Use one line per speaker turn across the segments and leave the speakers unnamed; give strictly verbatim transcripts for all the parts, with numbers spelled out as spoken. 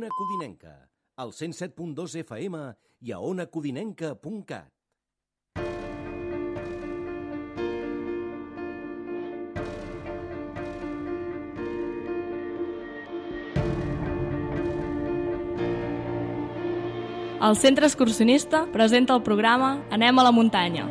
Ona Codinenca, al cent set punt dos F M i a ona codinenca punt cat.
El Centre Excursionista presenta el programa Anem a la muntanya.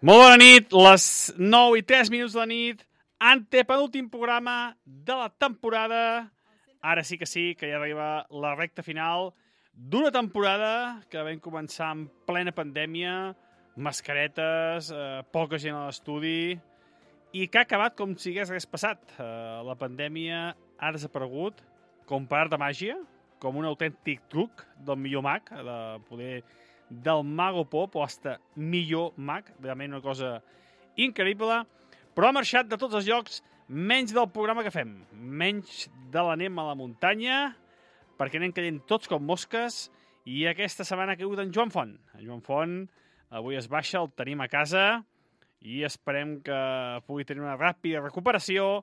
Molt bona nit, les nou i tres minuts de la nit, antepenúltim programa de la temporada. Ara sí que sí, que ja arriba la recta final d'una temporada que vam començar en plena pandèmia, mascaretes, eh, poca gent a l'estudi, i que ha acabat com si hagués res passat. Eh, la pandèmia ha desaparegut com per art de màgia, com un autèntic truc del millor mag, de poder... del Mago Pop, o hasta millor mag, realment una cosa increïble, però ha marxat de tots els llocs, menys del programa que fem, menys de l'Anem a la muntanya, perquè anem caient tots com mosques, i aquesta setmana ha caigut en Joan Font. En Joan Font avui es baixa, el tenim a casa, i esperem que pugui tenir una ràpida recuperació,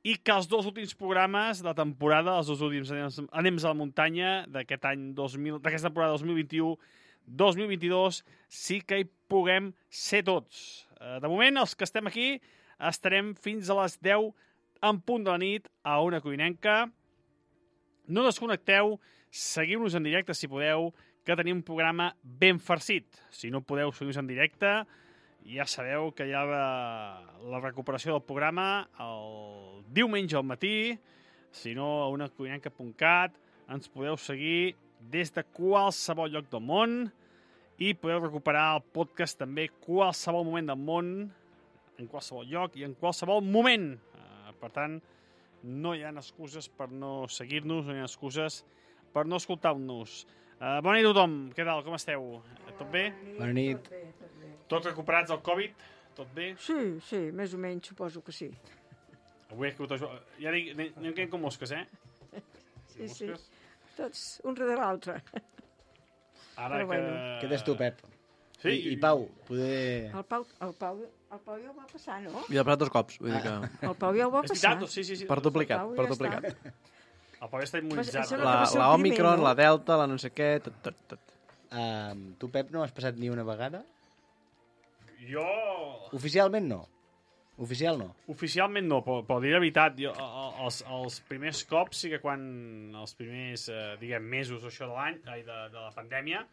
i que els dos últims programes de la temporada, els dos últims Anems a la muntanya d'aquest any dos mil, d'aquesta temporada dos mil vint-i-u dos mil vint-i-dos, sí que hi puguem ser tots. De moment, els que estem aquí, estarem fins a les deu en punt de la nit a Ona Codinenca. No desconnecteu, seguiu-nos en directe si podeu, que tenim un programa ben farcit. Si no podeu seguir-nos en directe, ja sabeu que hi ha la, la recuperació del programa el diumenge al matí, si no a ona codinenca punt cat, ens podeu seguir des de qualsevol lloc del món i podeu recuperar el podcast també qualsevol moment del món, en qualsevol lloc i en qualsevol moment. Uh, per tant, no hi ha excuses per no seguir-nos, no hi ha excuses per no escoltar-nos. Uh, bona nit a tothom, què tal, com esteu? Tot bé?
Bona nit.
Tot bé, tot bé.
Tots recuperats del Covid? Tot bé?
Sí, sí, més o menys suposo que sí.
Avui he caigut... Ja dic, anem caient com mosques, eh?
Sí, sí, tots un darrere l'altre.
Ara
Però
que...
bueno.
Què tens tu, Pep?
Sí,
I, I Pau, poder...
El Pau, el Pau, el Pau ja ho va passar, no?
I el plat dos cops, vull dir que...
El Pau ja ho va
És
passar.
veritat, sí, sí, sí.
Per duplicat,
Pau
per
ja
duplicat.
El Pau està
Em
immunitzat.
sembla
La,
que va ser el
la
primer,
Omicron,
no?
la Delta, la no sé què, tot, tot, tot.
Um, tu, Pep, no has passat ni una vegada?
Jo...
Oficialment no. Oficial no.
Oficialment no, però, però dir la veritat, jo, els, els primers cops sí que quan els primers, eh, diguem, mesos o això de l'any, ai, de, de la pandèmia,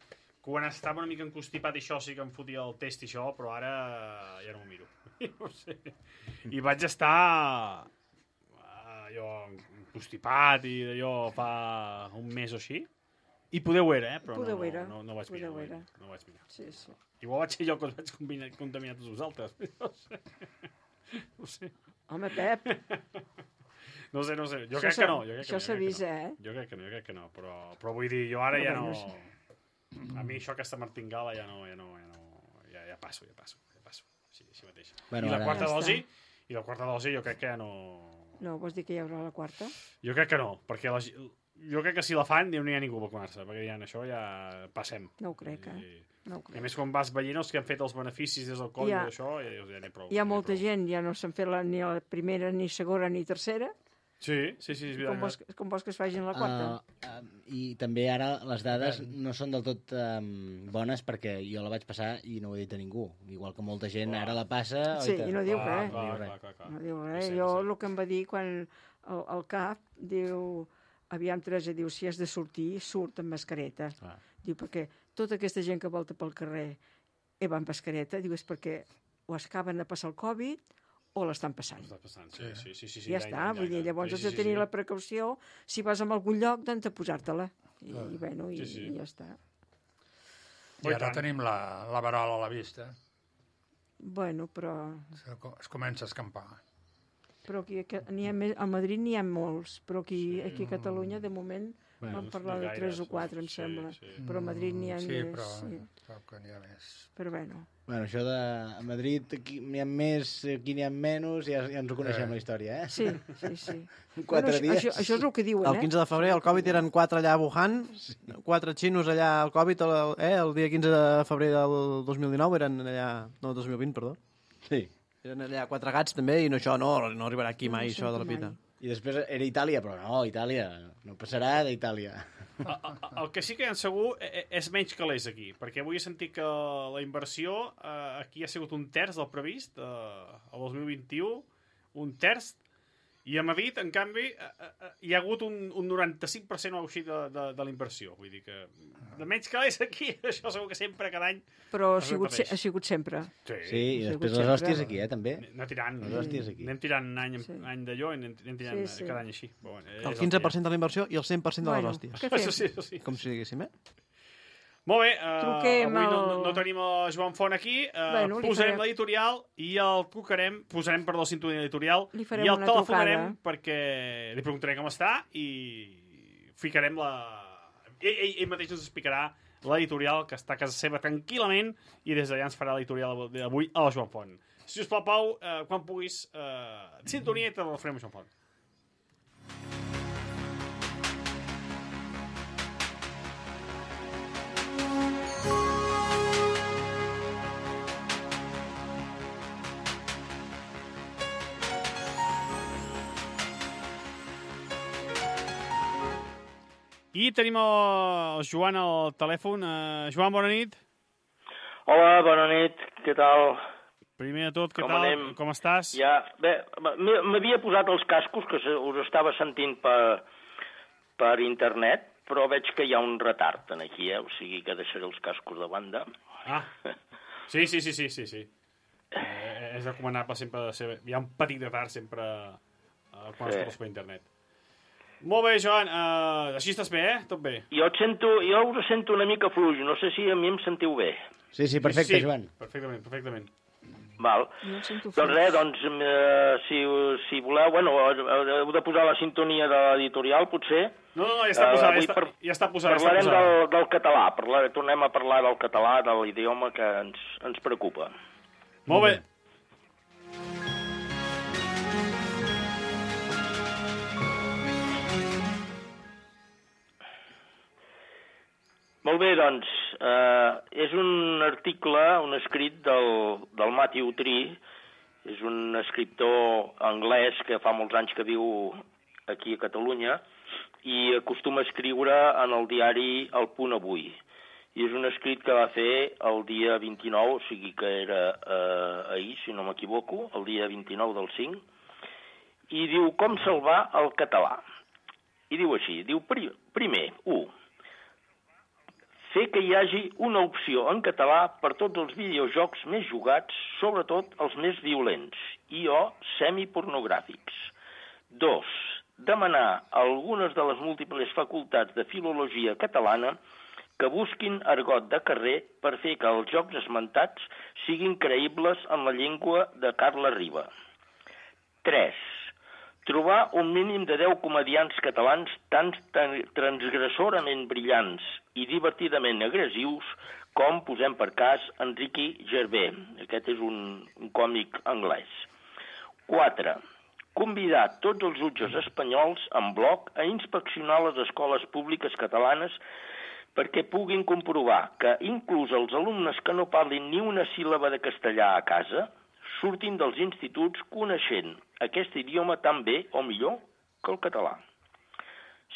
quan estava una mica encostipat i això sí que em fotia el test i això, però ara ja no m'ho miro. No sé. I vaig estar eh, jo encostipat i d'allò fa un mes o així. I poder ho era, eh? Però
Poder
no,
ho era.
no, no, no vaig
Poder
mirar.
ho era.
No, no vaig mirar.
Sí, sí.
Igual vaig ser jo que us vaig contaminar, contaminar tots vosaltres. No sé. No sé.
Home, Pep,
No sé, no sé. Jo
Això
crec
s'ha-
que no. Jo crec que
això
no, jo crec que
s'avisa,
no.
eh?
Jo crec que no, jo crec que no. Però, però vull dir, jo ara
Però
ja
bé,
no...
no sé.
A mi això, aquesta martingala, ja no... Ja, no, ja, no ja, ja passo, ja passo. Ja passo. Així, així mateix.
Bueno,
I la
ara-
quarta
Ja
dosi...
està.
I la quarta dosi jo crec que ja no...
no, vols dir que hi haurà la quarta?
Jo crec que no, perquè la, gi- jo crec que si la fan no hi ha ningú a vacunar-se, perquè ja això ja passem.
No ho crec, eh?
I,
No ho
I a
crec.
més, quan vas veient els que han fet els beneficis des del Covid
Hi ha-
i això, ja dius, ja n'hi ha prou.
Hi ha
n'hi
molta
prou.
gent, ja no s'han fet la, ni la primera, ni segona, ni tercera.
Sí, sí, sí, és
Com vols,
veritat.
com vols que es facin la quarta?
Uh, uh, I també ara les dades no són del tot um, bones perquè jo la vaig passar i no ho he dit a ningú. Igual que molta gent
Clar.
ara la passa...
Sí,
oita.
i no diu
Clar,
res.
clar,
diu
clar,
res.
clar, clar.
No diu
Ho
res.
sé,
Jo
ho sé.
el que em va dir quan el, el cap diu... Aviam, Teresa, diu, si has de sortir, surt amb mascareta.
Ah.
Diu, perquè tota aquesta gent que volta pel carrer i va amb mascareta, diu, és perquè o acaben de passar el Covid o l'estan passant.
Està passant, sí, sí, sí, sí, sí,
Ja
any,
està,
any,
vull dir,
any.
llavors
Sí,
has
sí,
de
sí,
tenir
sí.
la precaució, si vas a algun lloc, doncs de posar-te-la. I, i bueno, i,
Sí, sí.
i ja està.
Oh, i
I ara
tant.
tenim la, la verola a la vista.
Bueno, però,
Se co- Es comença a escampar.
però aquí, que, n'hi ha més, a Madrid n'hi ha molts, però aquí, aquí a Catalunya, de moment,
Bueno,
vam parlar de
gaires,
tres o
no?
quatre, em
Sí,
sembla.
sí.
Però a Madrid n'hi ha
Sí,
més.
però,
Sí.
però que n'hi ha més.
Però bueno,
Bueno, això de a Madrid aquí n'hi ha més, aquí n'hi ha menys, ja, ja ens ho coneixem,
Eh.
la història, eh?
sí, sí, sí.
Quatre
bueno,
dies.
Això, això és el que diuen,
El
eh?
quinze de febrer el Covid eren quatre allà a Wuhan, quatre xinos allà al Covid, el, eh, el dia quinze de febrer del dos mil dinou eren allà... No, dos mil vint, perdó.
Sí.
Eren allà quatre gats també i no, això no, no arribarà aquí mai,
No ho
això de la
sento
pita.
mai.
I després era Itàlia, però no, Itàlia, no passarà d'Itàlia.
A- a- El que sí que en segur e- e- és menys calés aquí, perquè avui he sentit que la inversió eh, aquí ha sigut un terç del previst, eh, el dos mil vint-i-u, un terç, i a Madrid, en canvi, eh, eh, hi ha hagut un, un noranta-cinc per cent o així de, de, de la inversió. Vull dir que de menys calés aquí, això segur que sempre, cada any,
Però ha
Es
sigut, se-
repeteix.
ha sigut sempre.
Sí, i
Sí,
després
sempre.
les hòsties aquí, eh, també.
anem tirant,
Les hòsties aquí.
anem tirant any,
Sí.
any d'allò i anem, anem tirant
Sí, sí.
cada any així. Però, bueno, és
El
que
quinze per
hi
cent de la inversió i el cent per cent de les
Bueno,
hòsties.
què
ha.
fem?
Això sí, això sí.
Com si diguéssim, eh?
Molt bé, uh,
Truquem
avui no,
al-
no, no tenim el Joan Font aquí, uh,
Bueno, li
posarem
farem-
l'editorial i el trucarem, posarem, perdó, la sintonia editorial
Li farem
i el
una
telefonarem
trucada.
perquè li preguntaré com està i ficarem la... Ell, ell, ell mateix ens explicarà l'editorial que està a casa seva tranquil·lament i des d'allà ens farà l'editorial d'avui a la Joan Font. Si us plau, Pau, uh, quan puguis, uh, sintonia i te la farem a Joan Font. I tenim el Joan al telèfon. Uh, Joan, bona nit.
Hola, bona nit, què tal?
Primer de tot, què
Com
tal?
anem?
Com estàs?
Ja, bé, m- m'havia posat els cascos, que se- us estava sentint per, per internet, però veig que hi ha un retard en aquí, eh? O sigui que deixaré els cascos de banda.
Ah, sí, sí, sí, sí, sí, sí. Eh, és recomanable sempre de ser... Hi ha un petit retard sempre eh, quan
Sí.
escoltes per internet. Molt bé, Joan. Uh, així estàs bé, eh? Tot bé.
Jo, et sento, jo us sento una mica fluix. No sé si a mi em sentiu bé.
Sí, sí, perfecte,
sí,
Joan.
Perfectament, perfectament.
Val.
No em sento
Doncs res, doncs, eh, si, si voleu, bueno, heu de posar la sintonia de l'editorial, potser.
No, no, no, ja està posada,
Uh,
ja, està,
par
ja està posada.
Parlarem
ja està posada.
del, del català, parlar, tornem a parlar del català, de l'idioma que ens, ens preocupa.
Molt bé.
Molt bé, doncs, eh, és un article, un escrit del, del Matthew Tree, és un escriptor anglès que fa molts anys que viu aquí a Catalunya i acostuma a escriure en el diari El Punt Avui. I és un escrit que va fer el dia vint-i-nou, o sigui que era eh, ahir, si no m'equivoco, el dia vint-i-nou del cinc, i diu com salvar el català. I diu així, diu primer, u, fer que hi hagi una opció en català per tots els videojocs més jugats, sobretot els més violents i o semipornogràfics. Dos, demanar a algunes de les múltiples facultats de filologia catalana que busquin argot de carrer per fer que els jocs esmentats siguin creïbles en la llengua de Carla Riba. Tres, trobar un mínim de deu comediants catalans tan transgressorament brillants i divertidament agressius com, posem per cas, Enrique Gervais. Aquest és un, un còmic anglès. Quatre, convidar tots els jutges espanyols en bloc a inspeccionar les escoles públiques catalanes perquè puguin comprovar que inclús els alumnes que no parlin ni una síl·laba de castellà a casa surtin dels instituts coneixent aquest idioma tan bé o millor que el català.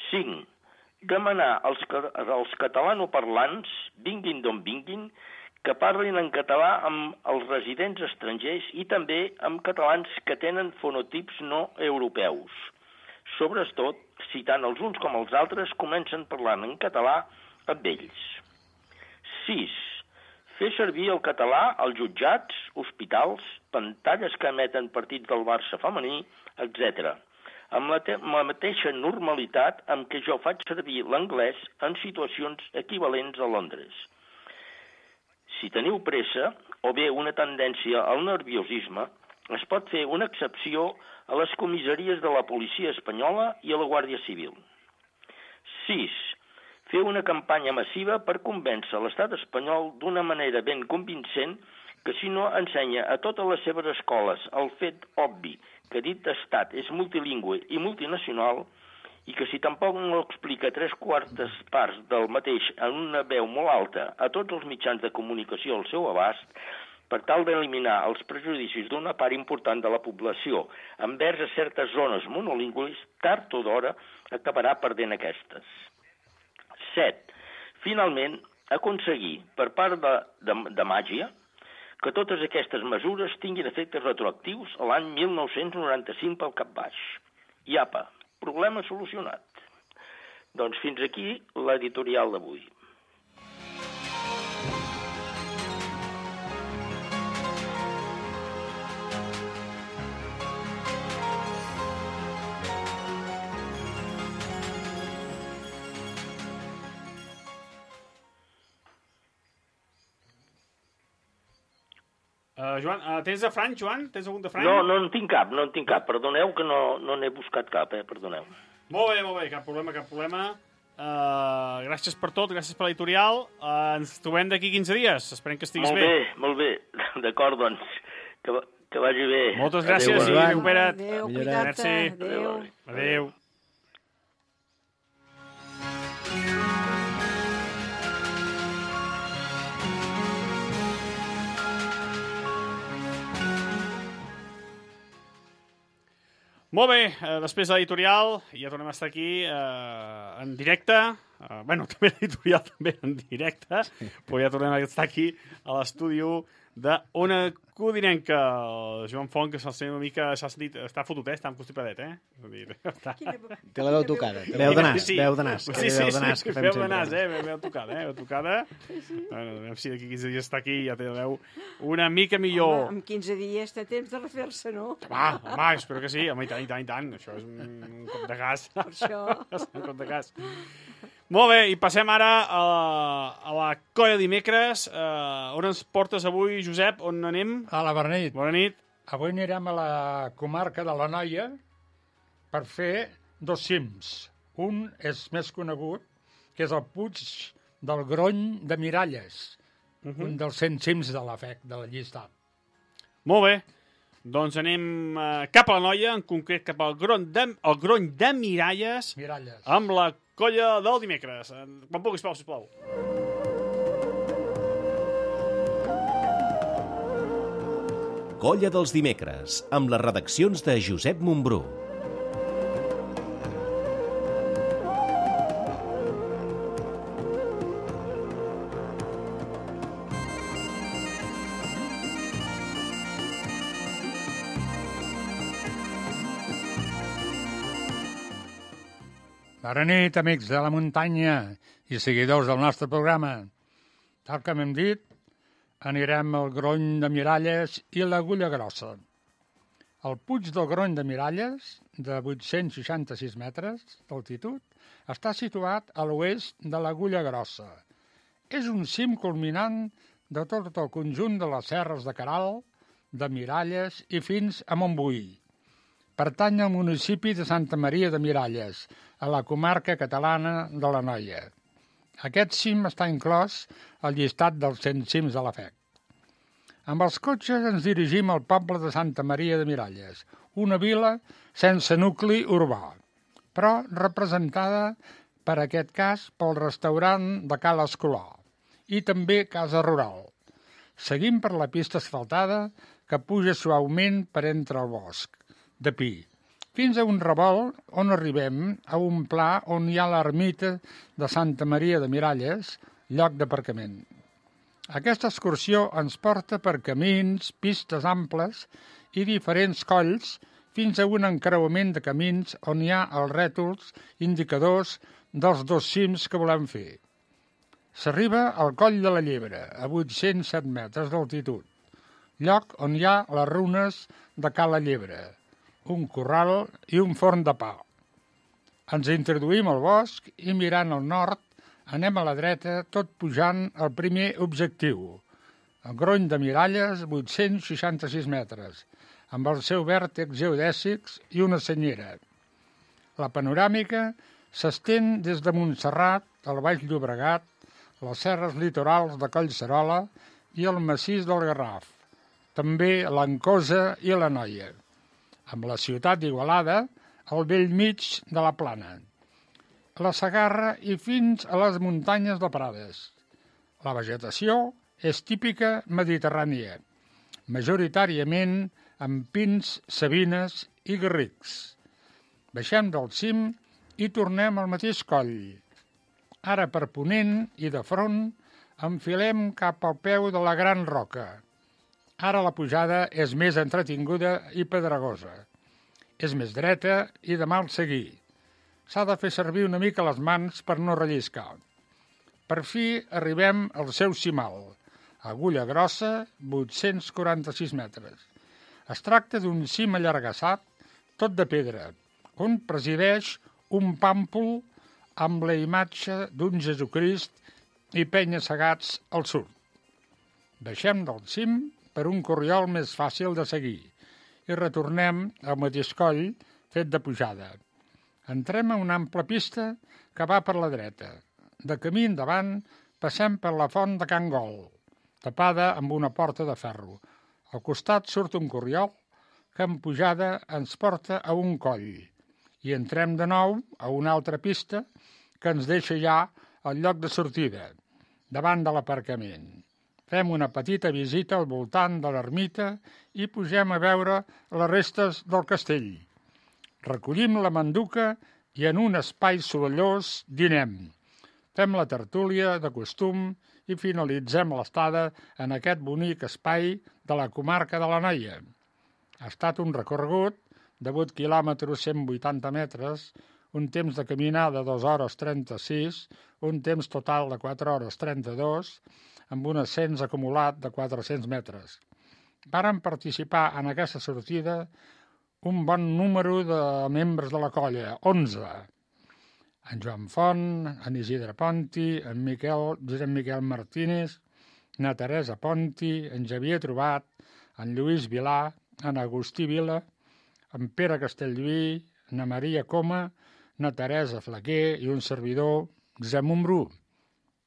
Cinc, demanar als, als catalanoparlants, vinguin d'on vinguin, que parlin en català amb els residents estrangers i també amb catalans que tenen fonotips no europeus. Sobretot, si tant els uns com els altres comencen parlant en català amb ells. Sis, fer servir el català als jutjats, hospitals, pantalles que emeten partits del Barça femení, etcètera, amb la, amb la mateixa normalitat amb què jo faig servir l'anglès en situacions equivalents a Londres. Si teniu pressa, o bé una tendència al nerviosisme, es pot fer una excepció a les comissaries de la policia espanyola i a la Guàrdia Civil. Sis, fer una campanya massiva per convèncer l'estat espanyol d'una manera ben convincent que si no ensenya a totes les seves escoles el fet obvi que dit estat és multilingüe i multinacional i que si tampoc no explica tres quartes parts del mateix en una veu molt alta a tots els mitjans de comunicació al seu abast, per tal d'eliminar els prejudicis d'una part important de la població envers a certes zones monolingües, tard o d'hora acabarà perdent aquestes. Set. Finalment, aconseguir, per part de, de, de màgia, que totes aquestes mesures tinguin efectes retroactius a l'any mil nou-cents noranta-cinc pel cap baix. I apa, problema solucionat. Doncs fins aquí l'editorial d'avui.
Uh, Joan, uh, tens de franc, Joan? Tens algun de franc?
No, no en tinc cap, no en tinc cap. Perdoneu que no, no n'he buscat cap, eh? Perdoneu.
Molt bé, molt bé, cap problema, cap problema. Uh, gràcies per tot, gràcies per l'editorial. Uh, ens trobem d'aquí quinze dies. Esperem que estiguis
molt
bé.
Molt bé, molt bé. D'acord, doncs. Que, que vagi bé.
Moltes gràcies
Adéu,
i recupera't.
Adéu,
Millora.
cuida't-te.
Merci.
Adéu.
Adéu. Molt bé, eh, després de l'editorial ja tornem a estar aquí eh, en directe Uh, bueno, també l'editorial també en directe, sí. Però ja tornem a estar aquí a l'estudi de Ona Codinenca. El Joan Font, que se'l sent una mica... S'ha sentit... Està fotut, eh? Està amb constipadet, eh? És a dir, està...
Té la veu tocada.
Veu de nas,
Sí.
veu de nas.
Sí,
aquella
sí,
veu de nas
sí,
que fem
veu de
sempre.
nas, eh? Veu tocada, eh? Veu tocada. Bueno, a veure si d'aquí quinze dies està aquí i ja té la veu una mica millor.
Home, amb quinze dies té temps de refer-se, no?
Va, home, espero que sí. Home, i tant, i tant, i tant. Això és un, un cop de gas.
Per això.
un cop de gas. Molt bé, i passem ara a la, a la colla dimecres. Uh, on ens portes avui, Josep? On anem?
A la bona nit.
Bona nit.
Avui anirem a la comarca de l'Anoia per fer dos cims. Un és més conegut, que és el Puig del Grony de Miralles, uh -huh. un dels cent cims de la F E C, de la llista.
Molt bé. Doncs anem uh, cap a l'Anoia, en concret cap al Grony de, el Grony de Miralles,
Miralles.
amb la colla del dimecres. Quan puguis, Pau, sisplau.
Colla dels dimecres, amb les redaccions de Josep Montbrú.
Bona nit, amics de la muntanya i seguidors del nostre programa. Tal com hem dit, anirem al Grony de Miralles i l'Agulla Grossa. El Puig del Grony de Miralles, de vuit-cents seixanta-sis metres d'altitud, està situat a l'oest de l'Agulla Grossa. És un cim culminant de tot el conjunt de les serres de Caral, de Miralles i fins a Montbui. Pertany al municipi de Santa Maria de Miralles, a la comarca catalana de l'Anoia. Aquest cim està inclòs al llistat dels cent cims de la F E C. Amb els cotxes ens dirigim al poble de Santa Maria de Miralles, una vila sense nucli urbà, però representada per aquest cas pel restaurant de Cal Escolà i també Casa Rural. Seguim per la pista asfaltada que puja suaument per entre el bosc de pi, fins a un revolt on arribem a un pla on hi ha l'ermita de Santa Maria de Miralles, lloc d'aparcament. Aquesta excursió ens porta per camins, pistes amples i diferents colls fins a un encreuament de camins on hi ha els rètols indicadors dels dos cims que volem fer. S'arriba al Coll de la Llebre, a vuit-cents set metres d'altitud, lloc on hi ha les runes de Cala Llebre, un corral i un forn de pa. Ens introduïm al bosc i mirant al nord anem a la dreta tot pujant al primer objectiu, el Grony de Miralles, vuit-cents seixanta-sis metres, amb el seu vèrtex geodèsics i una senyera. La panoràmica s'estén des de Montserrat, el Baix Llobregat, les serres litorals de Collserola i el massís del Garraf, també l'Ancosa i l'Anoia, amb la ciutat d'Igualada al bell mig de la plana, la Segarra i fins a les muntanyes de Prades. La vegetació és típica mediterrània, majoritàriament amb pins, sabines i garrics. Baixem del cim i tornem al mateix coll. Ara per ponent i de front enfilem cap al peu de la Gran Roca. Ara la pujada és més entretinguda i pedregosa. És més dreta i de mal seguir. S'ha de fer servir una mica les mans per no relliscar. Per fi arribem al seu cimal, Agulla Grossa, vuit-cents quaranta-sis metres. Es tracta d'un cim allargassat, tot de pedra, on presideix un pàmpol amb la imatge d'un Jesucrist i penya-segats al sud. Baixem del cim per un corriol més fàcil de seguir i retornem al mateix coll fet de pujada. Entrem a una ampla pista que va per la dreta. De camí endavant passem per la font de Can Gol, tapada amb una porta de ferro. Al costat surt un corriol que en pujada ens porta a un coll i entrem de nou a una altra pista que ens deixa ja al lloc de sortida, davant de l'aparcament. Fem una petita visita al voltant de l'ermita i pugem a veure les restes del castell. Recollim la manduca i en un espai sorollós dinem. fem la tertúlia de costum i finalitzem l'estada en aquest bonic espai de la comarca de l'Anoia. Ha estat un recorregut de vuit quilòmetres cent vuitanta metres, un temps de caminada de dues hores trenta-sis, un temps total de quatre hores trenta-dos, amb un ascens acumulat de quatre-cents metres. Varen participar en aquesta sortida un bon número de membres de la colla, onze. En Joan Font, en Isidre Ponti, en Miquel, Josep Miquel Martínez, na Teresa Ponti, en Xavier Trobat, en Lluís Vilà, en Agustí Vila, en Pere Castellví, na Maria Coma, na Teresa Flaquer i un servidor, Josep Montbrú.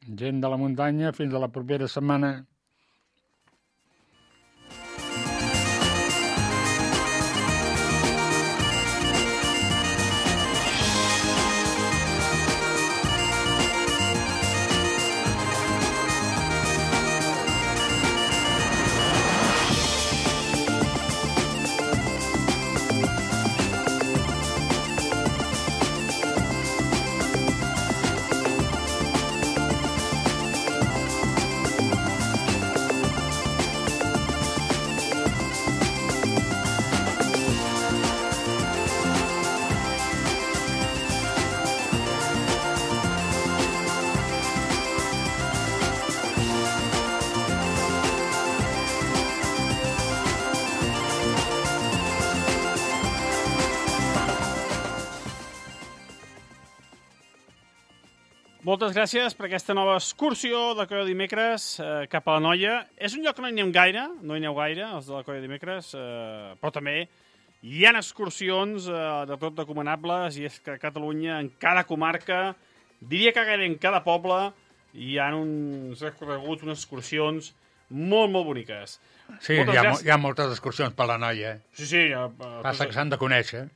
Gent de la muntanya, fins a la propera setmana.
Moltes gràcies per aquesta nova excursió de Colla Dimecres eh, cap a la Noia. És un lloc que no hi anem gaire, no hi aneu gaire, els de la Colla Dimecres, eh, però també hi ha excursions eh, de tot recomanables, i és que a Catalunya, en cada comarca, diria que gairebé en cada poble, hi ha uns recorreguts, unes excursions molt, molt boniques.
Sí, hi ha, hi ha moltes excursions per la Noia. Eh?
Sí, sí. Ja, uh,
Passa que s'han de conèixer.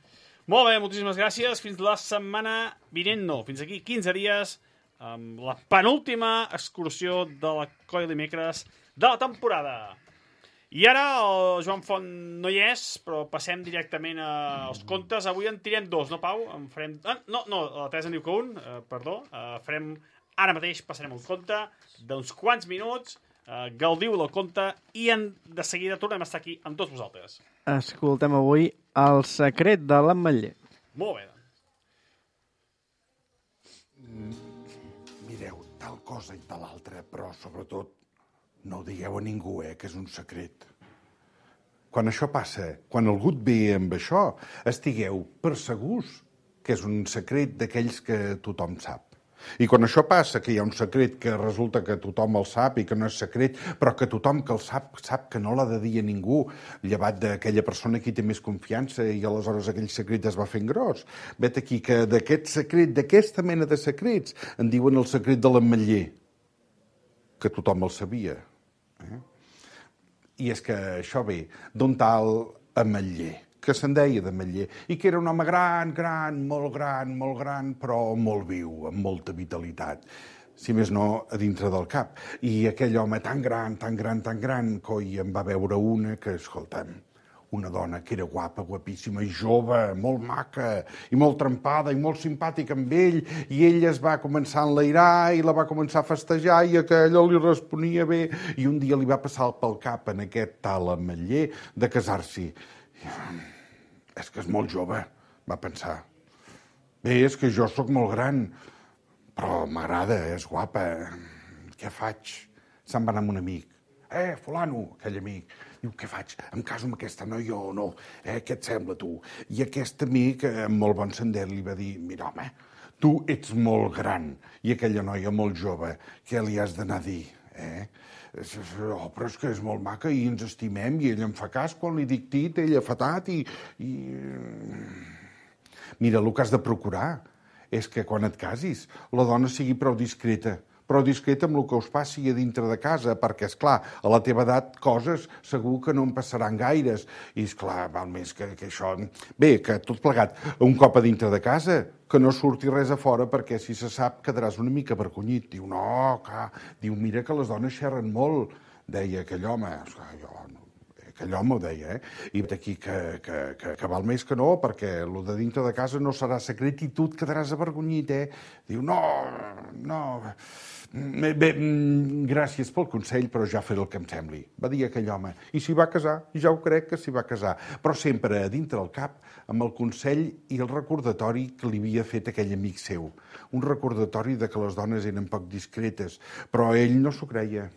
Molt bé, moltíssimes gràcies. Fins la setmana vinent, no. Fins aquí quinze dies, amb la penúltima excursió de la Colla Dimecres de la temporada. I ara el Joan Font no hi és, però passem directament als contes. Avui en tirem dos, no, Pau? En farem... ah, no, no, la Teresa en diu que un, eh, perdó. Eh, farem... Ara mateix passarem un conte d'uns quants minuts, eh, gaudiu del conte, i en... de seguida tornem a estar aquí amb tots vosaltres.
Escoltem avui El secret de l'ametller.
Molt bé.
Mireu, tal cosa i tal altra, però sobretot no ho digueu a ningú, eh, que és un secret. Quan això passa, quan algú et ve amb això, estigueu per segurs que és un secret d'aquells que tothom sap. I quan això passa, que hi ha un secret que resulta que tothom el sap i que no és secret, però que tothom que el sap, sap que no l'ha de dir a ningú, llevat d'aquella persona qui té més confiança, i aleshores aquell secret es va fent gros. Vet aquí que d'aquest secret, d'aquesta mena de secrets, en diuen el secret de l'ametller, que tothom el sabia. Eh? I és que això ve d'un tal ametller, que se'n deia d'ametller, i que era un home gran, gran, molt gran, molt gran, però molt viu, amb molta vitalitat, si més no, a dintre del cap. I aquell home tan gran, tan gran, tan gran, coi, en va veure una que, escolta'm, una dona que era guapa, guapíssima, i jove, molt maca, i molt trempada, i molt simpàtica amb ell, i ell es va començar a enlairar, i la va començar a festejar, i aquella li responia bé, i un dia li va passar pel cap en aquest tal ametller de casar-s'hi. És que és molt jove, va pensar. Bé, és que jo sóc molt gran, però m'agrada, és guapa. Què faig? Se'n va anar amb un amic. Eh, fulano, aquell amic. Diu, què faig? Em caso amb aquesta noia o no? Eh, què et sembla, tu? I aquest amic, amb molt bon sender, li va dir, mira, home, tu ets molt gran i aquella noia molt jove. Què li has d'anar a dir, eh? Oh, però és que és molt maca i ens estimem i ell em fa cas quan li dic tit, ella fa tat i, i... Mira, el que has de procurar és que quan et casis la dona sigui prou discreta, prou discreta amb el que us passi a dintre de casa, perquè, esclar, a la teva edat coses segur que no en passaran gaires. I, esclar, val més que, que això... Bé, que tot plegat, un cop a dintre de casa, que no surti res a fora, perquè si se sap quedaràs una mica avergonyit. Diu, no, clar, diu, mira que les dones xerren molt, deia aquell home. Esclar, jo, aquell home ho deia, eh? I aquí que, que, que, que val més que no, perquè el de dintre de casa no serà secret i tu et quedaràs avergonyit, eh? Diu, no, no... Bé, bé, gràcies pel consell, però ja faré el que em sembli, va dir aquell home. I s'hi va casar, ja ho crec que s'hi va casar, però sempre a dintre del cap, amb el consell i el recordatori que li havia fet aquell amic seu. Un recordatori de que les dones eren poc discretes, però ell no s'ho creia.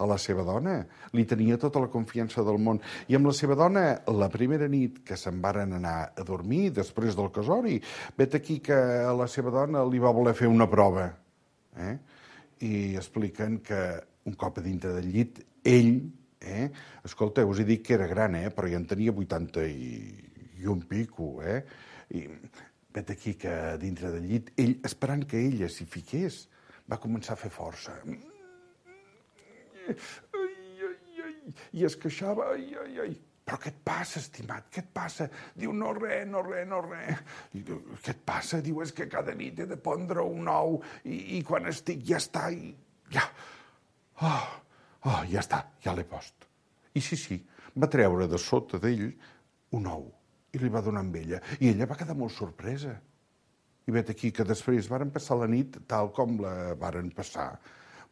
A la seva dona li tenia tota la confiança del món. I amb la seva dona, la primera nit que se'n varen anar a dormir, després del casori, vet aquí que a la seva dona li va voler fer una prova. Eh? I expliquen que un cop a dintre del llit, ell, eh? escolta, us he dit que era gran, eh? però ja en tenia vuitanta i, i un pico, eh? I vet aquí que dintre del llit, ell, esperant que ella s'hi fiqués, va començar a fer força. Ai, ai, ai, i es queixava, ai, ai, ai. Però què et passa, estimat? Què et passa? Diu, no res, no res, no res. I diu, què et passa? Diu, és que cada nit he de pondre un ou i, i quan estic ja està i ja. Oh, oh, ja està, ja l'he post. I sí, sí, va treure de sota d'ell un ou i li va donar amb ella. I ella va quedar molt sorpresa. I vet aquí que després varen passar la nit tal com la varen passar.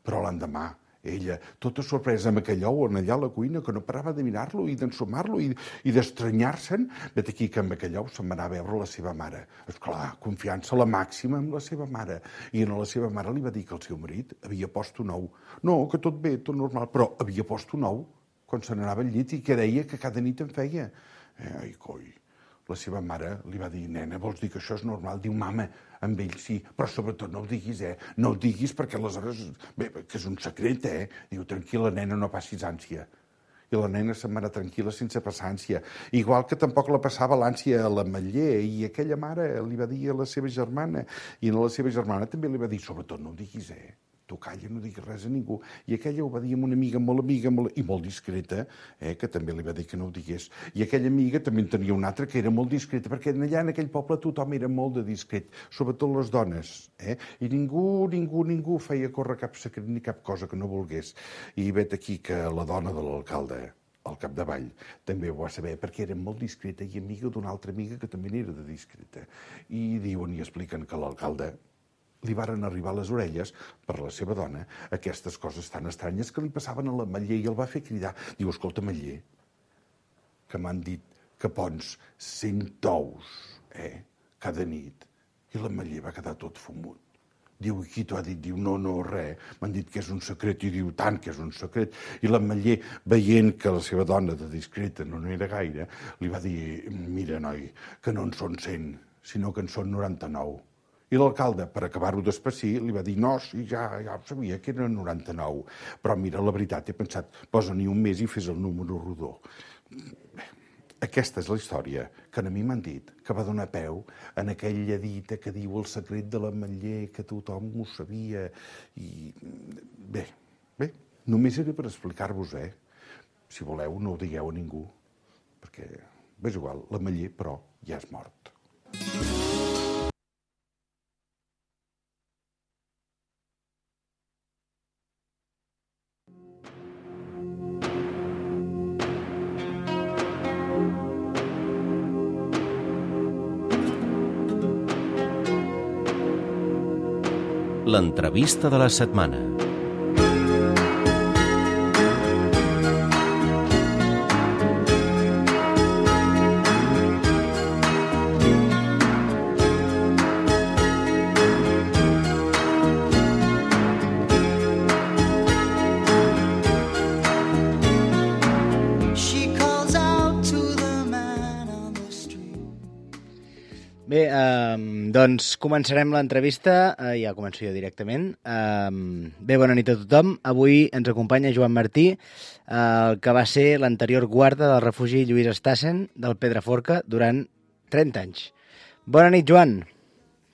Però l'endemà, ella, tota sorpresa amb aquell ou on allà a la cuina, que no parava de mirar-lo i d'ensumar-lo i, i d'estranyar-se'n, vet aquí que amb aquell ou se'n va anar a veure la seva mare. Esclar, confiança la màxima amb la seva mare. I a la seva mare li va dir que el seu marit havia post un ou. No, que tot bé, tot normal, però havia post un ou quan se n'anava al llit i que deia que cada nit en feia. Eh, ai, coi. La seva mare li va dir, nena, vols dir que això és normal? Diu, mama, amb ell sí, però sobretot no ho diguis, eh? No ho diguis perquè aleshores... Bé, que és un secret, eh? Diu, tranquil·la, nena, no passis ànsia. I la nena se'n va anar tranquil·la sense passar ànsia. Igual que tampoc la passava l'ànsia a l'Ametller, i aquella mare li va dir a la seva germana, i a la seva germana també li va dir, sobretot no ho diguis, eh? Tu calla, no diguis res a ningú. I aquella ho va dir amb una amiga molt amiga molt, i molt discreta, eh, que també li va dir que no ho digués. I aquella amiga també en tenia una altra que era molt discreta, perquè allà en aquell poble tothom era molt de discret, sobretot les dones. Eh? I ningú, ningú, ningú feia córrer cap secret ni cap cosa que no volgués. I vet aquí que la dona de l'alcalde, al capdavall, també ho va saber, perquè era molt discreta i amiga d'una altra amiga que també era de discreta. I diuen i expliquen que l'alcalde li varen arribar a les orelles, per la seva dona, aquestes coses tan estranyes que li passaven a l'Ametller i el va fer cridar. Diu, escolta, Ametller, que m'han dit que pons cent ous, eh, cada nit. I l'Ametller va quedar tot fumut. Diu, i qui t'ho ha dit? Diu, no, no, res. M'han dit que és un secret. I diu, tant que és un secret. I l'Ametller, veient que la seva dona de discreta no n'era gaire, li va dir, mira, noi, que no en són cent, sinó que en són noranta-nou. I l'alcalde, per acabar-ho d'espessir, li va dir, no, sí, ja, ja ho sabia, que eren noranta-nou. Però mira, la veritat, he pensat, posa-n'hi un mes i fes el número rodó. Bé, aquesta és la història que a mi m'han dit, que va donar peu en aquella dita que diu el secret de l'Ametller, que tothom ho sabia. I bé, bé, només era per explicar-vos, eh? Si voleu, no ho digueu a ningú, perquè, és igual, l'Ametller, però, ja és mort.
L'entrevista de la setmana.
Bé, eh, doncs començarem l'entrevista, eh, ja començo jo directament. Eh, bé, bona nit a tothom. Avui ens acompanya Joan Martí, eh, que va ser l'anterior guarda del refugi Lluís Estassen del Pedraforca durant trenta anys. Bona nit, Joan.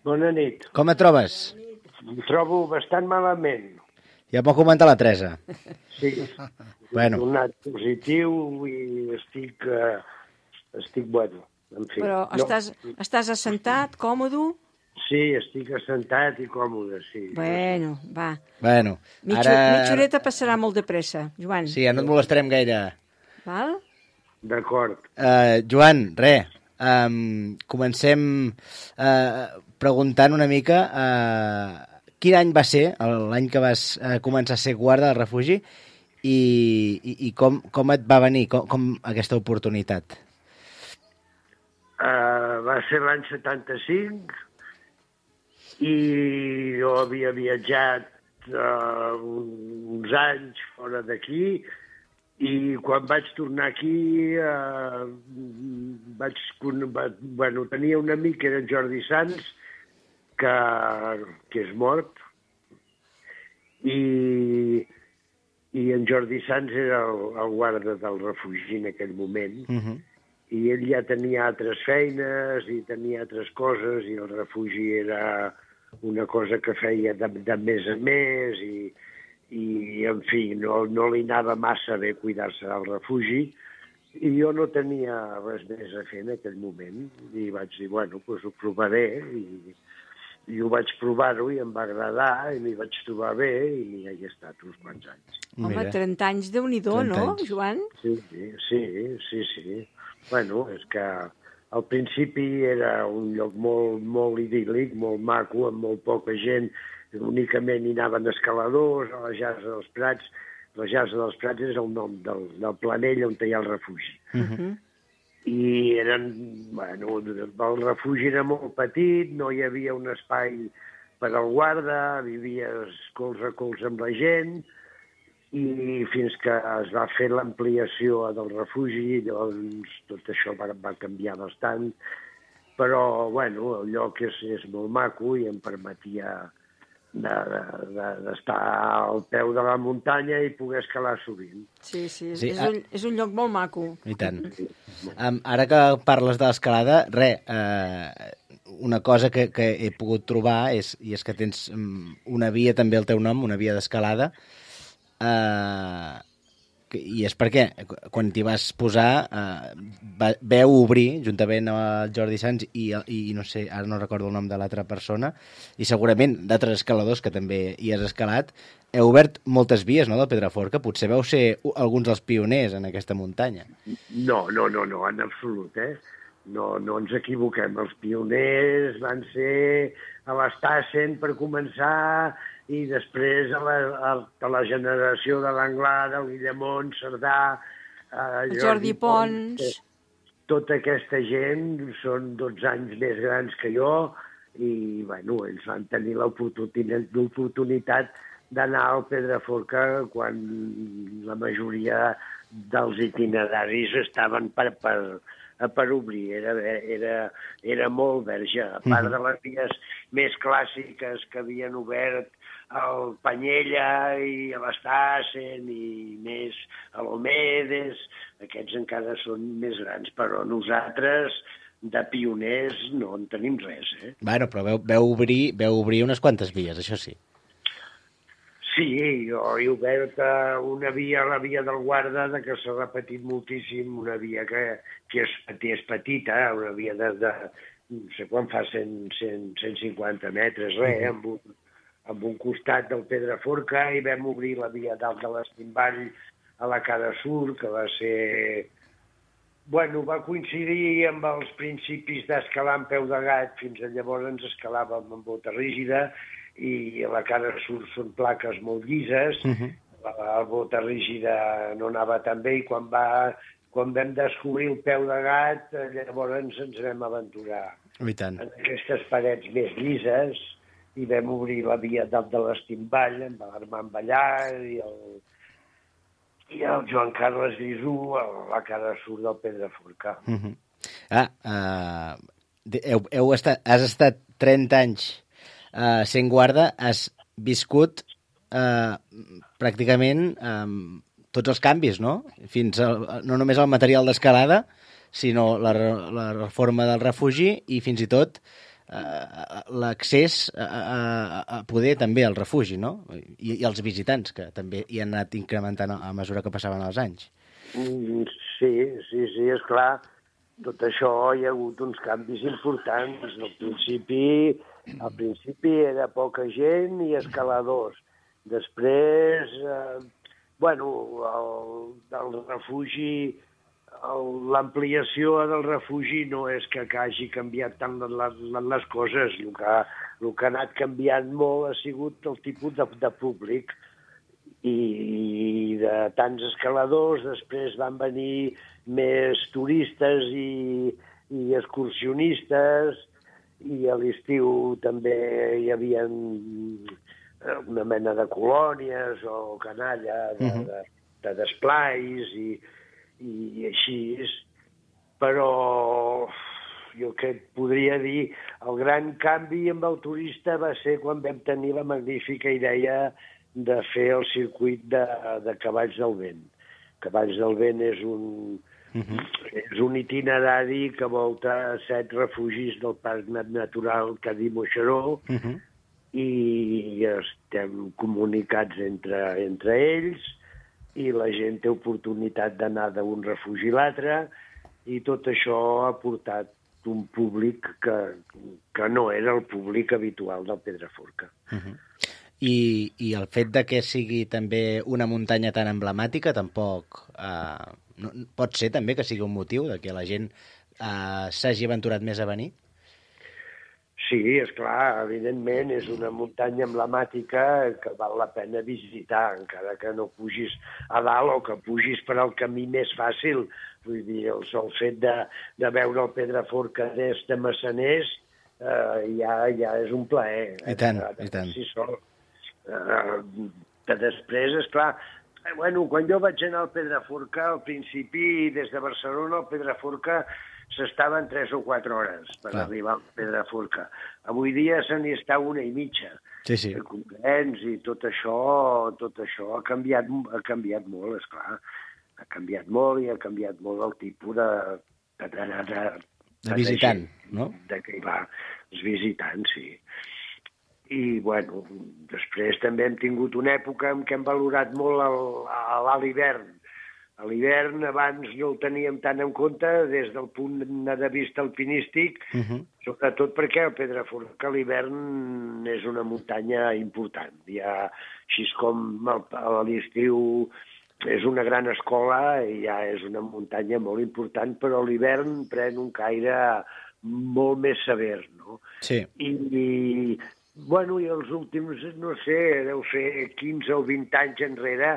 Bona nit.
Com et trobes?
Em trobo bastant malament.
Ja m'ho comentat la Teresa.
Sí.
Bueno.
He donat positiu i estic, uh, estic bueno. En fi,
Però
no.
estàs, estàs assentat, còmode?
Sí, estic assentat i còmode, sí.
Bueno, va.
Bueno,
Mitja,
ara...
mitja horeta passarà molt de pressa, Joan.
Sí, ja no et molestarem gaire.
Val?
D'acord.
Uh, Joan, res, um, comencem uh, preguntant una mica uh, quin any va ser, l'any que vas uh, començar a ser guarda del refugi, i, i, i com, com et va venir, com, com aquesta oportunitat?
Uh, va ser l'any setanta-cinc i jo havia viatjat uh, uns anys fora d'aquí i quan vaig tornar aquí uh, vaig, va, bueno, tenia un amic que era en Jordi Sans que, que és mort i, i en Jordi Sans era el, el guarda del refugi en aquell moment. Uh-huh. I ell ja tenia altres feines i tenia altres coses i el refugi era una cosa que feia de, de més a més i, i en fi, no, no li anava massa bé cuidar-se del refugi i jo no tenia res més a fer en aquell moment i vaig dir, bueno, doncs ho provaré i, i ho vaig provar-ho i em va agradar i m'hi vaig trobar bé i hi he estat uns quants anys.
Home, Mira. trenta anys, Déu-n'hi-do, no, anys. Joan?
Sí, sí, sí, sí, sí. Bueno, és que al principi era un lloc molt, molt idíl·lic, molt maco, amb molt poca gent. Únicament hi anaven escaladors a la Jasa dels Prats. La Jasa dels Prats és el nom del, del planell on hi ha el refugi. Uh-huh. I eren, bueno, el refugi era molt petit, no hi havia un espai per al guarda, vivies colze a colze amb la gent, i fins que es va fer l'ampliació del refugi, doncs tot això va, va canviar bastant, però, bueno, el lloc és, és molt maco i em permetia d'estar de, de, al peu de la muntanya i poder escalar sovint.
Sí, sí, és,
sí
és, un, és un lloc molt maco.
I tant. Um, ara que parles de l'escalada, res, uh, una cosa que, que he pogut trobar és, i és que tens um, una via també al teu nom, una via d'escalada, Uh, i és perquè quan t'hi vas posar uh, va, veu obrir juntament amb el Jordi Sans i, i no sé, ara no recordo el nom de l'altra persona i segurament d'altres escaladors que també hi has escalat, heu obert moltes vies, no?, del Pedraforca, potser veu ser alguns dels pioners en aquesta muntanya.
No, no, no, no, en absolut, eh? No, no ens equivoquem, els pioners van ser a l'Estassen per començar i després a la, a, a la generació de l'Anglada, el Guillemont, Cerdà, eh,
Jordi, Jordi Pons... Pons.
Tota aquesta gent són dotze anys més grans que jo i, bueno, ells van tenir l'oportunitat d'anar al Pedraforca quan la majoria dels itineraris estaven per, per, per obrir. Era, era, era molt verge. A part de les vies més clàssiques que havien obert al Panyella i a l'Estassen i més a l'Omedes, aquests encara són més grans, però nosaltres de pioners no en tenim res, eh?
Bueno, però veu, veu, obrir, veu obrir unes quantes vies, això sí.
Sí, jo he obert una via, la via del Guarda, que s'ha repetit moltíssim, una via que, que és, és petita, una via de, de no sé quan fa, cent, cent, cent cinquanta metres, res, amb un, amb un costat del Pedraforca, i vam obrir la via dalt de l'Estimball a la cara sur, que va ser... Bueno, va coincidir amb els principis d'escalar amb peu de gat, fins a llavors ens escalàvem amb bota rígida, i a la cara sur són plaques molt llises, uh-huh. la, la bota rígida no anava tan bé, i quan, va, quan vam descobrir el peu de gat, llavors ens vam aventurar en aquestes parets més llises, i vam obrir la via dalt de l'Estimball, amb l'Armand Ballar i el, i el Joan Carles Grisú a la cara sur del Pedraforca.
Uh-huh. Ah, uh, heu, heu estat, has estat trenta anys uh, sent guarda, has viscut uh, pràcticament um, tots els canvis, no? Fins al, no només el material d'escalada, sinó la, la reforma del refugi i fins i tot Uh, l'accés a, a, a poder també al refugi, no? I, i els visitants, que també hi han anat incrementant a, a mesura que passaven els anys.
Mm, sí, sí, sí, és clar. Tot això hi ha hagut uns canvis importants. Al principi, al principi era poca gent i escaladors. Després, eh, bueno, el, el refugi, l'ampliació del refugi no és que hagi canviat tant les, les coses. El que, el que ha anat canviant molt ha sigut el tipus de, de públic i de tants escaladors. Després van venir més turistes i, i excursionistes, i a l'estiu també hi havia una mena de colònies o canalla de, uh-huh. de, de desplais i, i així. Però jo que et podria dir, el gran canvi amb el turista va ser quan vam tenir la magnífica idea de fer el circuit de, de Cavalls del Vent. Cavalls del Vent és un, uh-huh. és un itinerari que volta set refugis del Parc Natural Cadí-Moixeró, uh-huh. i estem comunicats entre, entre ells, i la gent té oportunitat d'anar d'un refugi a l'altre, i tot això ha portat un públic que, que no era el públic habitual del Pedraforca.
Uh-huh. I, I el fet de que sigui també una muntanya tan emblemàtica tampoc... Eh, no, pot ser també que sigui un motiu de que la gent eh, s'hagi aventurat més a venir?
Sí, esclar, evidentment és una muntanya emblemàtica que val la pena visitar, encara que no pugis a dalt o que pugis per al camí més fàcil. Vull dir, el sol fet de, de veure el Pedraforca des de Massaners eh, ja, ja és un plaer.
I tant, eh, i tant.
Sí, sol. Uh, que després, esclar, eh, bueno, quan jo vaig anar al Pedraforca, al principi, des de Barcelona al Pedraforca, s'estaven tres o quatre hores per Clar. arribar al Pedraforca. Avui dia se n'hi està una i mitja.
Sí, sí.
El comprens i tot això, tot això ha canviat, ha canviat molt, esclar. Ha canviat molt i ha canviat molt el tipus de... de, de, de, de,
de visitant,
de,
no?
De que hi va, els visitants, sí. I, bueno, després també hem tingut una època en què hem valorat molt l'alt hivern. A l'hivern abans no el teníem tant en compte des del punt de vista alpinístic, uh-huh. sobretot perquè el Pedraforca a l'hivern és una muntanya important. Ja, així com a l'estiu és una gran escola i ja és una muntanya molt important, però a l'hivern pren un caire molt més sever, no?
Sí.
I, i bueno, i els últims, no sé, deu ser quinze o vint anys enrere,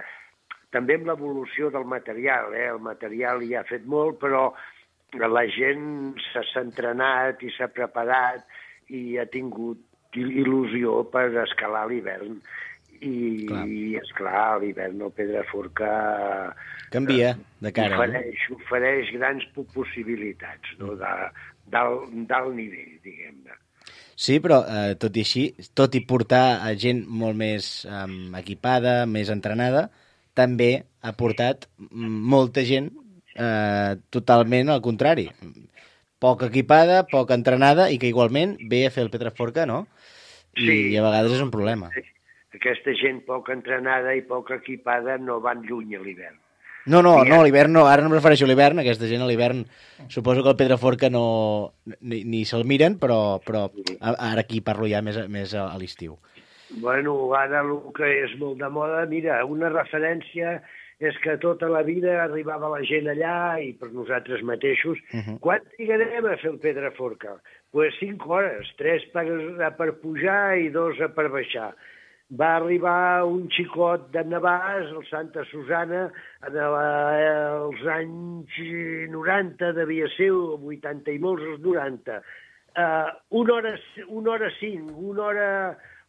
també amb l'evolució del material, eh? El material hi ha fet molt, però la gent s'ha entrenat i s'ha preparat i ha tingut il·lusió per escalar l'hivern. I, clar. i esclar, a l'hivern el Pedraforca
canvia de cara.
Ofereix, no? ofereix grans possibilitats, no? d'alt nivell, diguem-ne.
Sí, però eh, tot i així, tot i portar a gent molt més eh, equipada, més entrenada, també ha portat molta gent eh, totalment al contrari. Poc equipada, poc entrenada i que igualment ve a fer el Pedraforca, no? I,
sí,
i a vegades és un problema.
Aquesta gent poc entrenada i poc equipada no van lluny a l'hivern.
No, no, no, a l'hivern no, ara no em refereixo a l'hivern, aquesta gent a l'hivern suposo que el Pedraforca no, ni, ni se'l miren, però, però ara aquí parlo ja més, més a, a l'estiu.
Bueno, ara el que és molt de moda, mira, una referència és que tota la vida arribava la gent allà i per nosaltres mateixos, uh-huh. quan trigarem a fer el Pedraforca? Doncs pues cinc hores, tres per, per pujar i dos per baixar. Va arribar un xicot de Navàs, el Santa Susana, en la, els anys noranta, devia ser, vuitanta i molts, els noranta. Uh, una hora, una hora cinc, una hora,